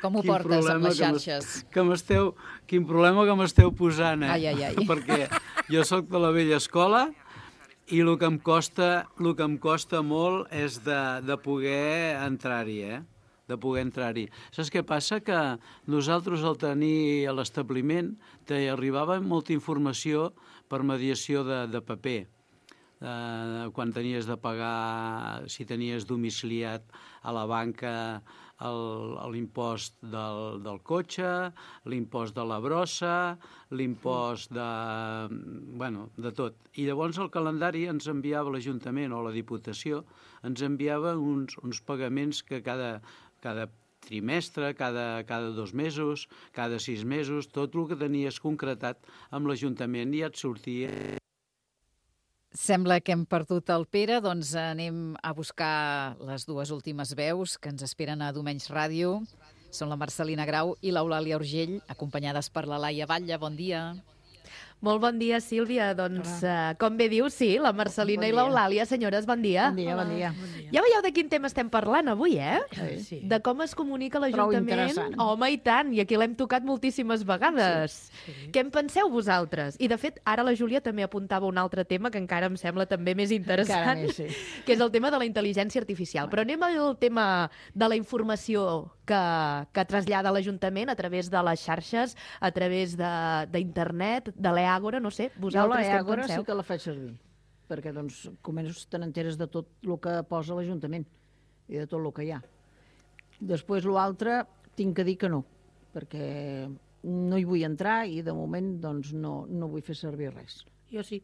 Com ho Quin portes amb problema les que m'es- xarxes? Que m'esteu... Quin problema que m'esteu posant, eh? Ai, ai, ai. Perquè jo sóc de la vella escola i el que em costa, el que em costa molt és de, de poder entrar-hi, eh? de poder entrar-hi. Saps què passa? Que nosaltres, al tenir a l'establiment, t'arribava molta informació per mediació de, de paper. Eh, quan tenies de pagar, si tenies domiciliat a la banca el- l'impost del, del cotxe, l'impost de la brossa, l'impost de... bueno, de tot. I llavors el calendari ens enviava l'Ajuntament o la Diputació, ens enviava uns, uns pagaments que cada, cada trimestre, cada, cada dos mesos, cada sis mesos, tot el que tenies concretat amb l'Ajuntament ja et sortia. Sembla que hem perdut el Pere, doncs anem a buscar les dues últimes veus que ens esperen a Domenys Ràdio. Són la Marcelina Grau i l'Eulàlia Urgell, acompanyades per la Laia Batlle. Bon dia. Molt bon dia, Sílvia. Doncs, uh, com bé dius, sí, la Marcelina Bon i dia. l'Eulàlia. Senyores, bon dia. Bon dia, bon dia. Ja veieu de quin tema estem parlant avui, eh? Sí. De com es comunica Prou l'Ajuntament. interessant. Home, i tant, i aquí l'hem tocat moltíssimes vegades. Sí, sí. Què en penseu vosaltres? I, de fet, ara la Júlia també apuntava un altre tema que encara em sembla també més interessant, Encara més, sí. que és el tema de la intel·ligència artificial. Però anem al tema de la informació que, que trasllada l'Ajuntament a través de les xarxes, a través de- d'internet, de, de l'Eàgora, no sé, Jo vosaltres què en l'Eàgora penseu? sí que la faig servir, perquè doncs, comences te n'enteres de tot el que posa l'Ajuntament i de tot el que hi ha. Després l'altre tinc que dir que no, perquè no hi vull entrar i de moment doncs, no, no vull fer servir res. Jo sí.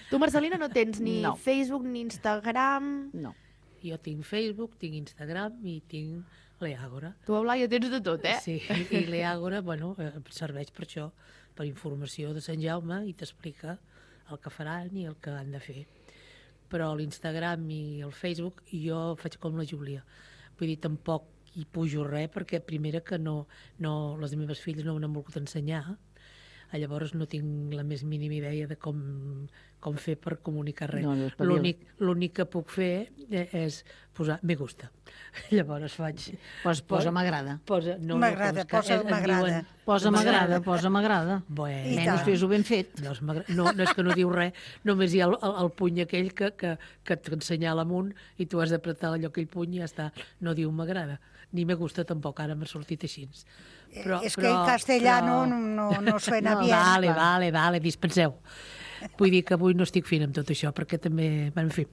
Tu, Marcelina, no tens ni no. Facebook ni Instagram? No. Jo tinc Facebook, tinc Instagram i tinc l'Eàgora. Tu, Eulàlia, tens de tot, eh? Sí, i l'Eàgora, bueno, serveix per això, per informació de Sant Jaume i t'explica el que faran i el que han de fer. Però l'Instagram i el Facebook jo faig com la Júlia. Vull dir, tampoc hi pujo res perquè primera que no, no, les meves filles no m'han volgut ensenyar. Llavors no tinc la més mínima idea de com, com fer per comunicar res. No, no, l'únic, l'únic que puc fer és posar me gusta. Llavors faig... Pues posa m'agrada. Posa, no, m'agrada, no, posa m'agrada. Posa m'agrada, posa m'agrada. Bueno, menys fes-ho ben fet. No, no, no és que no diu res, només hi ha el, el, el puny aquell que, que, que t'ensenyala amunt i tu has d'apretar allò aquell puny i ja està. No diu m'agrada. Ni me gusta tampoc, ara m'ha sortit així. Però, és però, que en castellano però... no, no suena no, bien. Vale, vale, vale, dispenseu. Vull dir que avui no estic fina amb tot això, perquè també... En fi,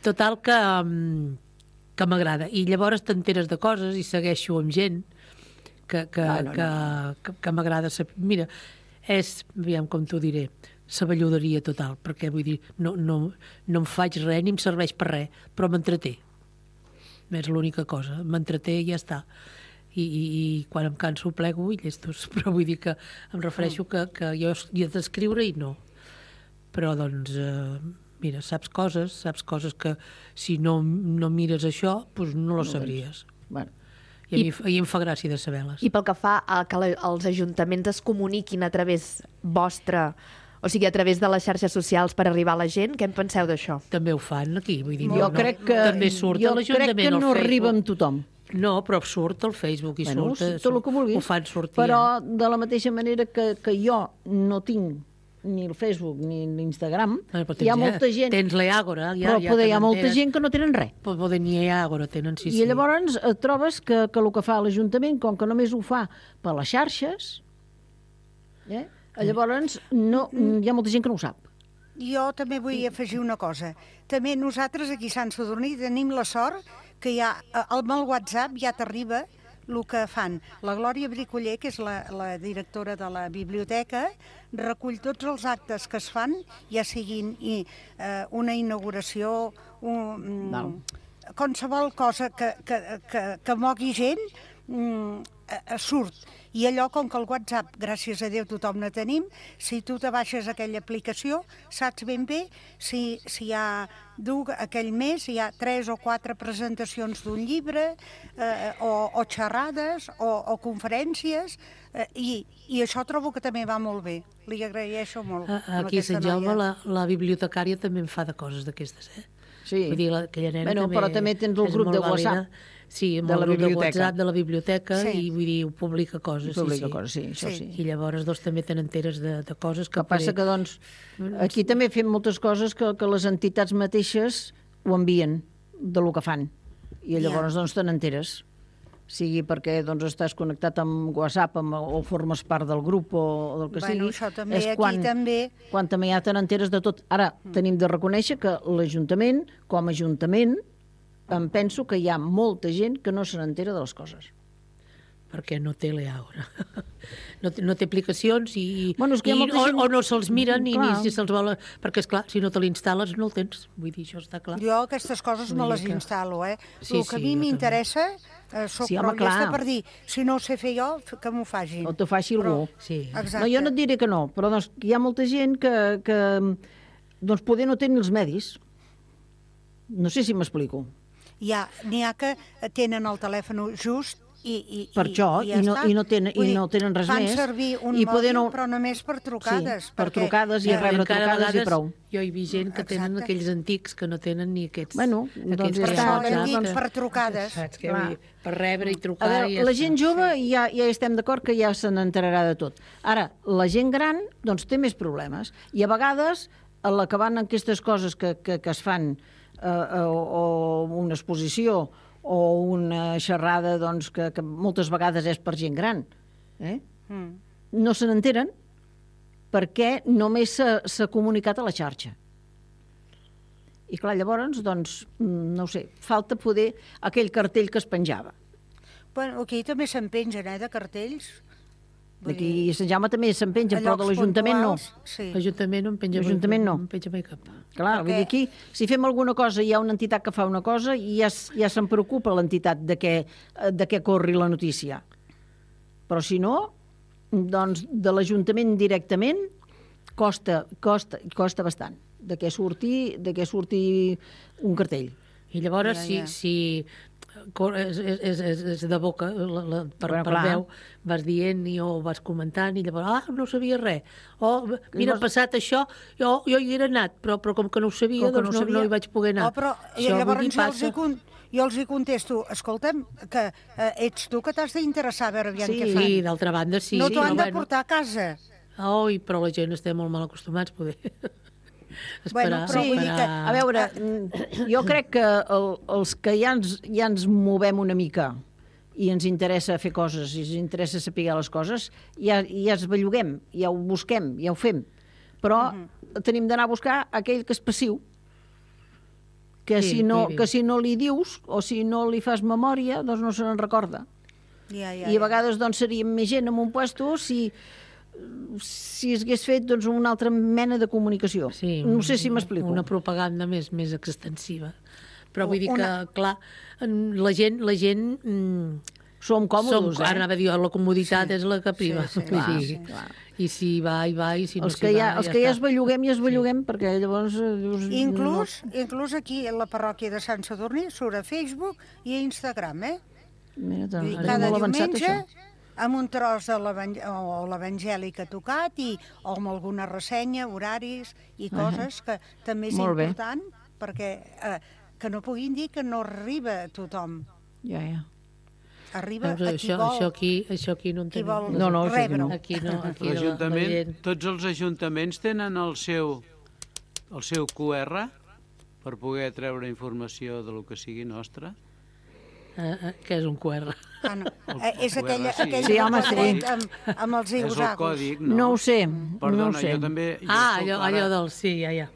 total que, que m'agrada. I llavors t'enteres de coses i segueixo amb gent que, que, no, no, que, no. que, que m'agrada saber. Mira, és, aviam com t'ho diré, saballuderia total, perquè vull dir, no, no, no em faig res ni em serveix per res, però m'entreté. És l'única cosa, m'entreté i ja està. I, i, i quan em canso plego i llestos, però vull dir que em refereixo que, que jo hi he d'escriure i no. Però doncs, eh, mira, saps coses, saps coses que si no, no mires això, doncs no lo sabries. Bueno. I a, I, mi, I em fa gràcia de saber-les. I pel que fa a que la, els ajuntaments es comuniquin a través vostre, o sigui, a través de les xarxes socials per arribar a la gent, què en penseu d'això? També ho fan aquí, vull dir, jo no, crec que, també surt jo a l'Ajuntament crec que no al arriba Facebook. amb tothom. No, però surt al Facebook i bueno, surt, tot el que vulguis, ho fan sortir. Però de la mateixa manera que, que jo no tinc ni el Facebook ni l'Instagram, bueno, hi ha molta gent... Tens l'Eàgora. Ja, però ja poder, hi ha molta gent que no tenen res. Poder ni Eàgora tenen, sí, I sí. llavors et trobes que, que el que fa l'Ajuntament, com que només ho fa per les xarxes, eh? llavors no, hi ha molta gent que no ho sap. Jo també vull afegir una cosa. També nosaltres aquí a Sant Sadurní tenim la sort que ja, amb el WhatsApp ja t'arriba el que fan. La Glòria Bricoller, que és la, la directora de la biblioteca, recull tots els actes que es fan, ja siguin i, eh, una inauguració, un, no. qualsevol cosa que, que, que, que mogui gent, mm, surt. I allò, com que el WhatsApp, gràcies a Déu, tothom ne tenim, si tu te baixes aquella aplicació, saps ben bé si, si hi ha aquell mes, hi ha tres o quatre presentacions d'un llibre, eh, o, o xerrades, o, o conferències, eh, i, i això trobo que també va molt bé. Li agraeixo molt. A, aquí a Sant Jaume la, la bibliotecària també en fa de coses d'aquestes, eh? Sí. Vull dir, la, aquella nena bueno, també però també tens el grup de WhatsApp. Vàlida. Sí, amb de el la grup de biblioteca. WhatsApp de la biblioteca, sí. I vull dir, ho publica coses. Publica sí, sí. coses, sí, això sí. I llavors doncs, també te n'enteres de, de coses que... El que passa que, doncs, aquí també fem moltes coses que, que les entitats mateixes ho envien de lo que fan. I llavors, yeah. doncs, te n'enteres. Sigui perquè doncs, estàs connectat amb WhatsApp amb, o formes part del grup o, o del que bueno, sigui. Això també, és aquí quan, també... quan també ja te n'enteres de tot. Ara, mm. tenim de reconèixer que l'Ajuntament, com a Ajuntament, em penso que hi ha molta gent que no se n'entera de les coses. Perquè no té l'Eàgora. No, no té aplicacions i, bueno, és que i o, gent... o no se'ls miren ni, clar. ni si se'ls vol... Perquè, esclar, si no te l'instal·les no el tens. Vull dir, això està clar. Jo aquestes coses me les que... instal·lo, eh? Sí, el que sí, a mi m'interessa, eh, soc sí, prou llesta per dir, si no ho sé fer jo, que m'ho facin. O t'ho faci però... algú. Sí. Exacte. No, jo no et diré que no, però doncs, hi ha molta gent que, que doncs, poder no tenir els medis. No sé si m'explico. N'hi ha, ha que tenen el telèfon just i, i, per això, i, ja i, no, i, no tenen, dir, i no tenen res fan més. Fan servir un i mòbil, no... però només per trucades. Sí, per perquè... trucades i rebre trucades vegades, i prou. Jo he vist gent que Exacte. tenen aquells antics que no tenen ni aquests... Bueno, doncs per ja està, doncs, per trucades. Saps què vull dir? Per rebre i trucar... A veure, i ja la gent està. jove ja, ja estem d'acord que ja se n'enterarà de tot. Ara, la gent gran doncs, té més problemes. I a vegades, a la que van en aquestes coses que, que, que es fan eh, o, o una exposició o una xerrada doncs, que, que moltes vegades és per gent gran, eh? mm. no se n'enteren perquè només s'ha comunicat a la xarxa. I clar, llavors, doncs, no ho sé, falta poder aquell cartell que es penjava. Bueno, aquí també se'n pengen, eh, de cartells. D'aquí a Sant Jaume també se'n penja, A però de llocs l'Ajuntament no. puntuals, sí. L'Ajuntament no en penja mai, L'Ajuntament no. no en penja mai cap. Clar, vull dir, aquí, si fem alguna cosa, hi ha una entitat que fa una cosa i ja, s- ja se'n preocupa l'entitat de què, de què corri la notícia. Però si no, doncs de l'Ajuntament directament costa, costa, costa bastant de què surti, de què surti un cartell. I llavors, Ja, si, ja. si cor- és, és, és, és de boca, la, la, per, Bueno, per clar. veu, vas dient i o vas comentant i llavors, ah, no sabia res. O, mira, ha no- passat això, jo, jo hi era anat, però, però com que no ho sabia, Com que doncs no no, ho sabia. no hi vaig poder anar. Oh, però i Això, vull llavors dir, jo els, hi passa. con... jo els hi contesto, escolta'm, que eh, ets tu que t'has d'interessar a veure aviam Sí, què fan. sí, d'altra banda, sí. no sí, t'ho han però de portar a casa. Oi, però la gent estem molt mal acostumats, poder. Bueno, però vull dir que- A veure, mm, jo crec que el, els que ja ens, ja ens movem una mica i ens interessa fer coses, i ens interessa saber les coses, ja, ja es belluguem, ja ho busquem, ja ho fem. Però tenim d'anar a buscar aquell que és passiu, que, Sí, si no, sí, sí. que si no li dius o si no li fas memòria, doncs no se n'en recorda. Ja, ja, I a vegades doncs, seríem més gent en un puesto si, si es hagués fet doncs, una altra mena de comunicació. Sí, no sé si m'explico. Una propaganda més, més extensiva. Però vull dir Una- que, clar, la gent... La gent mm, som còmodes, som, eh? Ara anava a dir, la comoditat Sí. és la que priva. Sí, sí, Vull clar, dir, sí, clar. I si va, i va, i si no Els s'hi que, ja, va, els que ja està. es belluguem, ja es belluguem, perquè llavors... eh, Dius, Inclús, inclús aquí a la parròquia de Sant Sadurní surt a Facebook i a Instagram, eh? No, mira, Vull dir, doncs, cada és molt avançat, diumenge això. amb un tros de l'evang- o l'evangeli que ha tocat i, o amb alguna ressenya, horaris i coses que també és Molt bé. important perquè eh, que no puguin dir que no arriba a tothom. Ja, ja. Arriba Veus, a qui això, vol. això, aquí, això aquí no en Qui tenim. vol No, no, això aquí no. Aquí no, aquí la, la L'Ajuntament, gent... tots els ajuntaments tenen el seu, el seu Q R per poder treure informació de lo que sigui nostre. Eh, eh, què és un Q R? Ah, no. Eh, és Q R, aquella, sí. aquell Sí, home, sí. quadret amb, amb els És el igosagos. còdic, no? No ho sé, Perdona, no ho sé. jo també... Jo Ah, soc allò, ara- allò del... Sí, ja, ja.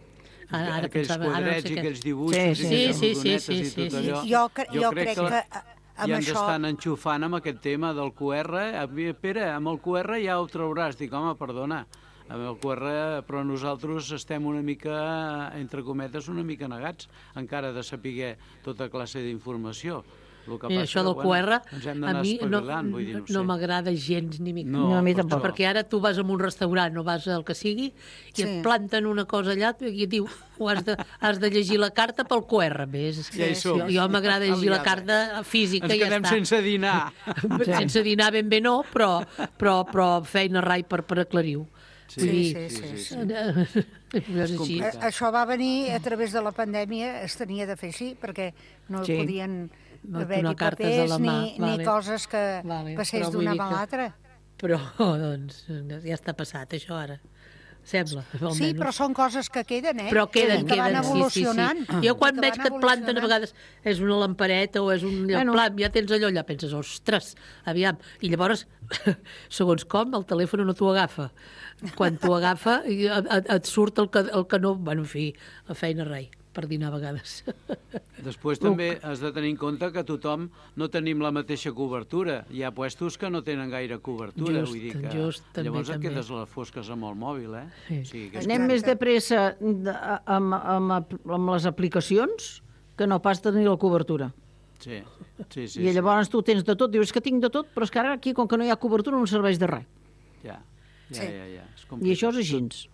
Ara, ara aquells pensava... Ara no quadrets sé i què. aquells dibuixos Sí, i sí. aquelles Sí, sí, rodonetes sí, i sí, tot sí. allò. Jo, cre jo crec que eh, amb ja ens això... estan enxufant amb aquest tema del Q R. Eh, Pere, amb el Q R ja ho trauràs. Dic, home, perdona, amb el Q R, però nosaltres estem una mica, entre cometes, una mica negats encara de saber tota classe d'informació. El que I passa això que, del Q R, ens hem a d'anar mi no, espavilant, vull dir, no, no sé. m'agrada gens ni mica. No, No, a mi per tampoc. això. Perquè ara tu vas a un restaurant o vas al que sigui i Sí. et planten una cosa allà i et diu ho has de, has de llegir la carta pel Q R. Més. Ja hi som. Jo, jo m'agrada llegir la Aliada. carta física Ens i ja quedem està. sense dinar. Sense dinar ben bé no, però, però, però feina rai per, per aclarir-ho. Sí, Vull dir, sí, sí, sí. és així. complicat. Eh, Això va venir a través de la pandèmia, es tenia de fer així, perquè no Sí. podien No haver-hi donar cartes de papers la mà, ni, vale. ni coses que Vale, passés però vull d'una dir mà a que- l'altra. Però, doncs, ja està passat, això ara. Sembla, almenys. Sí, però són coses que queden, eh? Però queden, I que van queden, evolucionant. sí, sí, sí. Jo quan I veig van que et planten a evolucionant. vegades és una lampareta o és un Bueno. plam, ja tens allò, allà penses, ostres, aviam. I llavors, segons com, el telèfon no t'ho agafa. Quan t'ho agafa, i et, et surt el que, el que no... Bueno, en fi, la feina rei, per dinar a vegades. Després també has de tenir en compte que tothom no tenim la mateixa cobertura. Hi ha puestos que no tenen gaire cobertura. Just, vull dir que just, també, llavors et també. quedes a les fosques amb el mòbil, eh? Sí. O sigui, que és Anem més de pressa de, amb, amb, amb les aplicacions que no pas tenir la cobertura. Sí, sí, sí. I llavors tu tens de tot, dius que tinc de tot, però és que ara aquí, com que no hi ha cobertura, no em serveix de res. Ja, ja, Sí. ja, ja. És I complicat. això és així.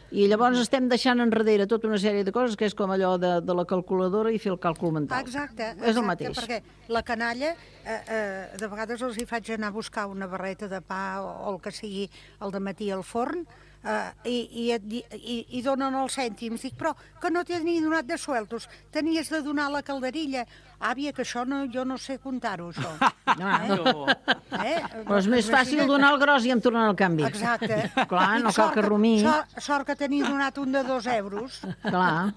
I llavors estem deixant enrere tota una sèrie de coses que és com allò de, de la calculadora i fer el càlcul mental. Exacte, És el exacte, mateix. perquè la canalla, eh, eh, de vegades els hi faig anar a buscar una barreta de pa o, o el que sigui al dematí al forn, eh, i, i, et di- i, i donen els cèntims. Dic, però que no t'he ni donat de sueltos, tenies de donar la calderilla. Àvia, que això no, jo no sé comptar-ho, això. No. Eh? Però és més fàcil donar el gros i em tornar el canvi. Exacte. Clar, no Dic, cal sort que rumii. Sort, sort que tenia donat un de dos euros. Clar.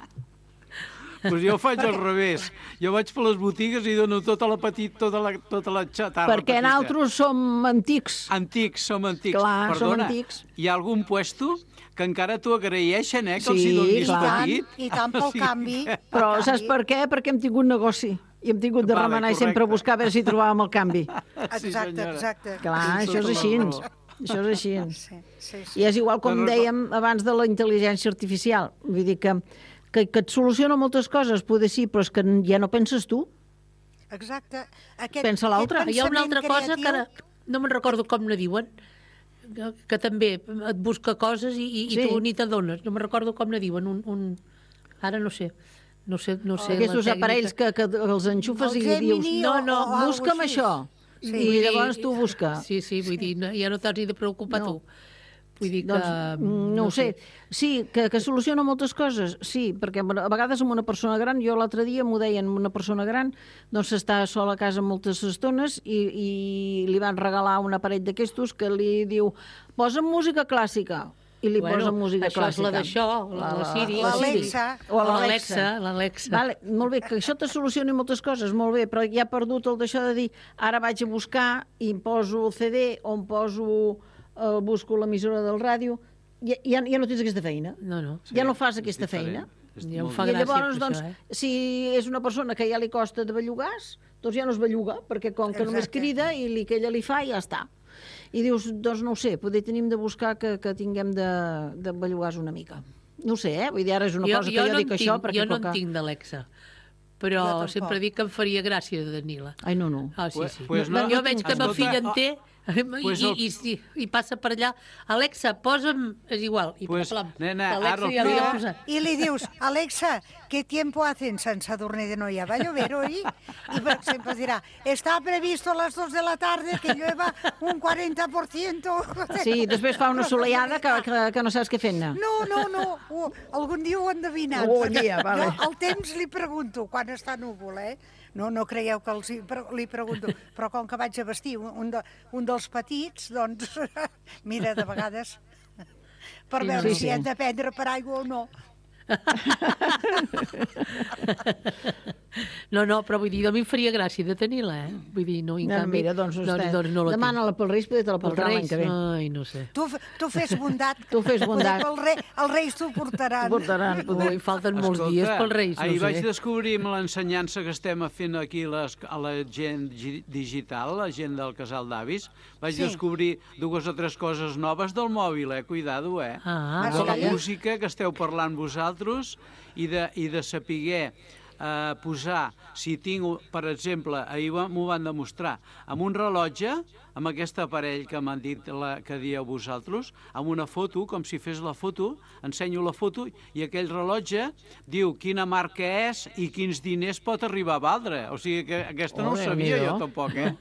Pues jo ho faig al revés. Jo vaig per les botigues i dono tota la petit, tota la, tota la xatarra Perquè petita. nosaltres som antics. Antics, som antics. Clar, som Perdona, antics. hi ha algun puesto que encara t'ho agraeixen, eh, que els Sí, hi donis clar. petit? I tant pel O sigui canvi. que- Però Pel saps canvi. per què? Perquè hem tingut negoci. I hem tingut de Vale, remenar i correcte. sempre buscar a veure si trobàvem el canvi. Sí, Exacte, senyora. exacte. Clar, Tens això és tota la així. raó. Això és així. Sí, sí, sí. I és igual com dèiem abans de la intel·ligència artificial. Vull dir que, que, que et soluciona moltes coses, poder sí, però és que ja no penses tu. Exacte. Aquest, Pensa l'altre. Hi ha una altra cosa que ara no me'n recordo com ne diuen, que, que també et busca coses i, i, Sí. i tu ni t'adones. No me'n recordo com ne diuen. Un, un... Ara no sé. No sé, no sé Aquests la aparells que, que els enxufes El i li dius, Gemini no, o- no, o algo busca'm així. això. Sí. I llavors tu busca. Sí, sí, vull dir, no, ja no t'has ni de preocupar No. tu. Vull dir que... Doncs, mm, no ho sé. Sí, que, que soluciona moltes coses, sí, perquè a vegades amb una persona gran, jo l'altre dia m'ho deien, una persona gran, doncs està sola a casa moltes estones i, i li van regalar un aparell d'aquestos que li diu, posa'm música clàssica, i li Bueno, posa música això és clàssica. la d'això, la- la Siri. L'Alexa. O O l'Alexa. l'Alexa, l'Alexa. Vale, molt bé, que això te solucioni moltes coses, molt bé, però ja ha perdut el d'això de dir ara vaig a buscar i em poso el C D o em poso, eh, busco l'emissora del ràdio, ja, ja, ja no tens aquesta feina. No, no. Ja no fas aquesta feina. Ja em fa I gràcia llavors, per doncs, això, eh? si és una persona que ja li costa de bellugar, doncs ja no es belluga, perquè com que només Exacte. crida i li, que ella li fa, ja està. I dius, doncs no ho sé, poder tenim de buscar que, que tinguem de, de bellugar una mica. No ho sé, eh? Vull dir, ara és una cosa que jo no dic en això, tinc, perquè... jo no com en que- tinc d'Alexa, però Jo tampoc. sempre dic que em faria gràcia de tenir-la. Ai, no, no. Ah, sí, Pues- sí. pues no, no- jo veig que ma escolta, filla en oh, té i, pues i, el- i, i, i passa per allà. Alexa, posa'm... És igual. I Pues, plam, nena, l'Alexa ara ja li ha No, posat. y le dius, Alexa, ¿qué tiempo hace en San Sadurní de Noia? ¿Va a llover hoy? Y por ejemplo dirá, está previsto a las dos de la tarde que llueva un cuarenta por ciento. Sí, després fa una solellada que, que, que no saps què fer-ne. No, no, no, ho, algun dia ho he endevinat. Oh, perquè dia, vale. Jo al temps li pregunto, quan està núvol, eh? No, no creieu que els hi, pre- li pregunto, però com que vaig a vestir un, un, de, un dels petits, doncs, mira, de vegades, per Sí, veure sí, si sí. hem de prendre per aigua o no. No, no, però vull dir, a mi em faria gràcia de tenir-la, eh? Vull dir, no, en No, canvi... mira, doncs, doncs, doncs, doncs no la tinc. demana-la pel Reis, perquè te la Pels portarà l'any Reis? que ve. Ai, no sé. Tu, f- tu fes bondat. Tu fes bondat. El rei, els reis t'ho portaran. T'ho portaran, Ui, falten molts dies pels Reis, no ahir sé. vaig descobrir amb l'ensenyança que estem fent aquí les, a la gent gi- digital, la gent del casal d'avis, vaig Sí. descobrir dues o tres coses noves del mòbil, eh? Cuidado, eh? Ah, Ah, de la calla. música que esteu parlant vosaltres i de, i de saber eh, posar, si tinc, per exemple, ahir va- m'ho van demostrar, amb un rellotge, amb aquest aparell que m'han dit la, que dieu vosaltres, amb una foto, com si fes la foto, ensenyo la foto i aquell rellotge diu quina marca és i quins diners pot arribar a valdre. O sigui que aquesta no ho Oh, sabia Déu-n'hi-do. jo tampoc, eh?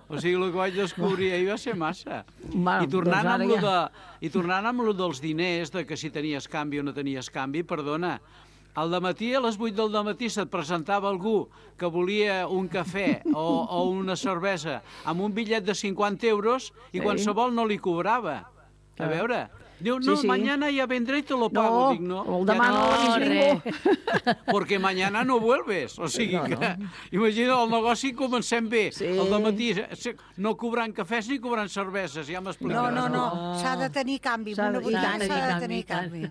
O sigui, el que vaig descobrir ahir va ser massa. Va, I tornant, doncs ara amb lo ja. de, I tornant amb lo dels diners, de que si tenies canvi o no tenies canvi, perdona, al dematí, a les vuit del dematí, se't presentava algú que volia un cafè o, o una cervesa amb un bitllet de cinquanta euros i Sí. qualsevol no li cobrava. A veure, diu, Sí, no, sí. mañana ya vendré y te lo pago. No, Dic, no, el ja demà no no, l'ha vist ningú. porque mañana no vuelves. O sigui No, que, no. imagina, el negoci comencem bé. Sí. El dematí, se- no cobrant cafès ni cobrant cerveses, ja No, m'explicaràs. no, no, s'ha de tenir canvi. S'ha Una de- i veritat, tant, s'ha i de tant, tenir i tant. canvi.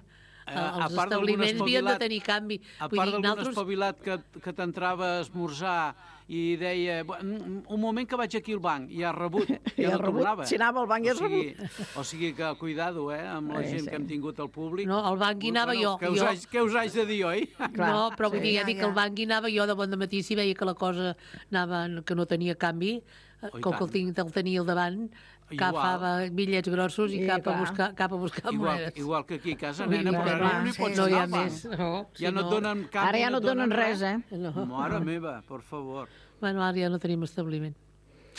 Eh, Els a part d'algun establiments havien de espavilat- tenir canvi. A Vull part dir, d'algun nosaltres... espavilat que, que t'entrava a esmorzar i deia, "Bu- un un moment que vaig aquí al banc, i ha rebut, ja, Ja no ha rebut, tornava. si anava al banc ja o has sigui, O sigui que, cuidado, eh, amb la Eh, gent sí. que hem tingut al públic. No, al banc hi anava jo. Què us, Jo- haig, què us haig de dir, oi? Clar, no, però vull sí. dir, ja Ja, dic que ja. al banc hi anava jo de bon dematí, si veia que la cosa anava, que no tenia canvi, eh, Oh, i com que el, tant. tinc, el tenia al davant, Igual. agafava bitllets grossos i Sí, cap a clar. buscar, cap a buscar Igual, monedes. igual que aquí a casa, Vull nena, dir, però clar, ara no hi sí. pots no hi anar ha al banc. més. No, Ja si no et donen canvi, Ara ja no et donen res, eh? No. Mare meva, per favor. Bueno, ara ja no tenim establiment.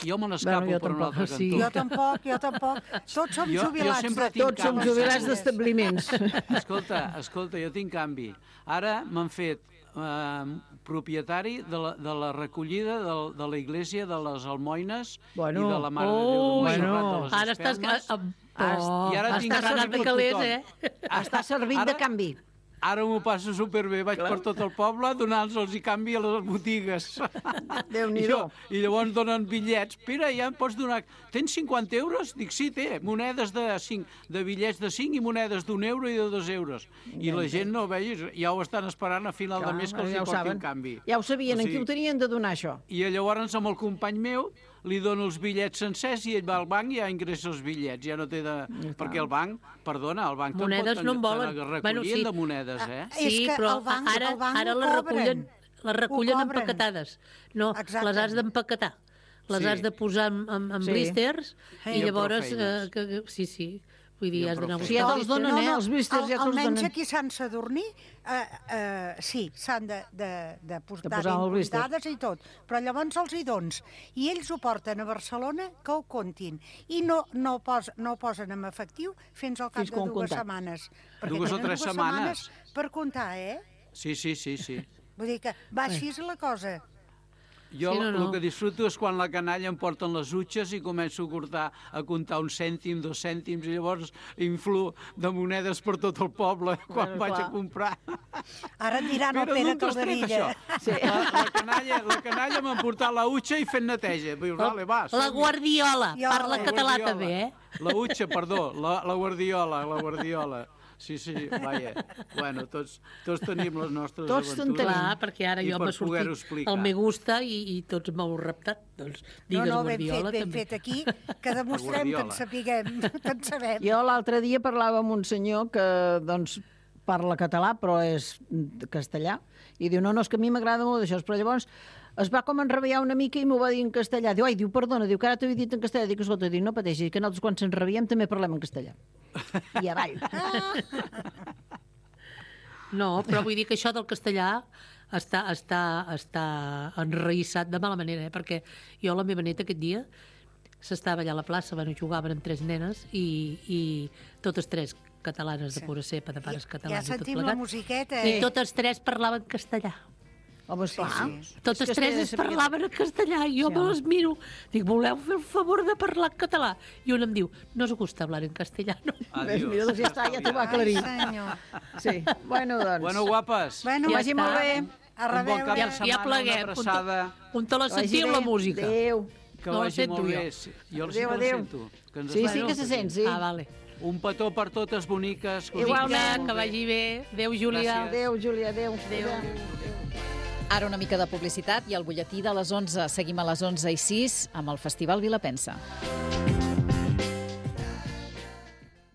Jo me n'escapo Bueno, jo per un tampoc. altre Sí. cantó. Jo tampoc, jo tampoc. Tots som Jo- jo jubilats. sempre de- tinc Tots som canvi. jubilats d'establiments. Escolta, escolta, jo tinc canvi. Ara m'han fet eh, propietari de la, de la recollida de, de la iglesia de les Almoines Bueno. i de la Mare de Déu Oh, de Montserrat bueno. de les Ara estàs... Espelmes. Amb... Has- Oh, i ara tinc estàs canvi anant de per calés, tothom. eh? Està servint de canvi. Ara m'ho passo superbé, vaig per tot el poble donant-los i canvi a les botigues. Déu-n'hi-do. I, I llavors donen bitllets. Pere, ja em pots donar... Tens cinquanta euros? Dic, sí, té. Monedes de cinc, de bitllets de cinc i monedes d'un euro i de dos euros. I la gent no ho veus, ja ho estan esperant a final Clar, de mes que els ja hi ho portin saben. canvi. Ja ho sabien, O en qui sigui, ho tenien de donar, això? I llavors amb el company meu li dono els bitllets sencers i ell va al banc i ja ingressa els bitllets, ja no té de... Perquè el banc, perdona, el banc monedes te'n no en volen. recollien Bueno, sí. de monedes, eh? Ah, és Sí, que però el banc- ara, el banc ara ho les cobren. recullen, les recullen Ho cobren. empaquetades. No, Exacte. les has d'empaquetar. Les Sí. has de posar en, en, en Sí. blisters Hey. i Jo prou llavors... Eh, feines. que, que, sí, sí. Vull dir, Jo has prou d'anar a feines. Sí, ja buscar... te'ls donen, eh? Els blisters al, ja te'ls almenys donen. aquí a Sant Sadurní, eh, eh, sí, s'han de, de, de portar De posar ben el blister. comptades i tot, però llavors els hi dons. I ells ho porten a Barcelona que ho comptin. I no, no, pos, no ho posen en efectiu fins al cap Fins de quan dues comptat. setmanes. Perquè Dues o tenen tres dues setmanes. per comptar, eh? Sí, sí, sí, sí. Vull dir que va així és la cosa. Jo Sí, no, el no. que disfruto és quan la canalla em porten les utxes i començo a cortar, a comptar un cèntim, dos cèntims, i llavors influo de monedes per tot el poble quan Bueno, vaig clar. a comprar. Ara et diran el Però Pere d'on t'has tret, Calderilla. això? Sí. La, la, canalla, la canalla m'ha portat la utxa i fent neteja. Diu, vale, va, La som-hi. guardiola, Jo, parla la català guardiola. també, eh? La utxa, perdó, la, la guardiola, la guardiola. Sí, sí, vaja. Bueno, tots, tots tenim les nostres Tots en aventures. tenim. Clar, perquè ara I jo per m'ha poder-ho sortit explicar. el me gusta i, i tots m'heu reptat. Doncs No, digues no, ben fet, guardiola ben també. fet aquí, que demostrem que en Guardiola. sapiguem, que en sabem. Jo l'altre dia parlava amb un senyor que doncs, parla català, però és castellà, i diu, no, no, és que a mi m'agrada molt d'això, però llavors es va com enrabiar una mica i m'ho va dir en castellà. Diu, ai, diu, perdona, diu que ara t'ho he dit en castellà. Dic, escolta, dic, no pateixis, que nosaltres quan se'ns rabiem també parlem en castellà. I avall. No, però vull dir que això del castellà està, està, està enraïssat de mala manera, eh? Perquè jo, la meva neta, aquest dia s'estava allà a la plaça, bueno, jugaven amb tres nenes i, i totes tres catalanes de pura cepa, de pares catalans Ja i tot sentim la plegat. musiqueta, I eh? totes tres parlaven castellà. Home, esclar. Totes És que tres es es sabia- parlaven en castellà i jo Sí, me home. les miro. Dic, voleu fer el favor de parlar en català? I un em diu, no us gusta hablar en castellano. Ves, mira, doncs ja està, ja t'ho va aclarir. Ai, senyor. Sí, bueno, doncs. Bueno, guapes. Bueno, Ja vagi està. molt bé. A Un bon reveure. cap de Ja, setmana, ja pleguem. una abraçada. On te la Que vagi sentiu, bé. la música? Adéu. Que No la vagi sento molt jo. bé. Sí, jo sí Adéu, que la adéu. sento. Que ens Sí, sí estimem. que se sent, sí. Ah, vale. Un petó per totes boniques. que us Igualment. Vinga, que vagi bé. Adéu, Júlia. Gràcies. Adéu, Júlia, adéu. Adéu. Ara una mica de publicitat i el butlletí de les onze. Seguim a les onze i sis amb el Festival Vilapensa.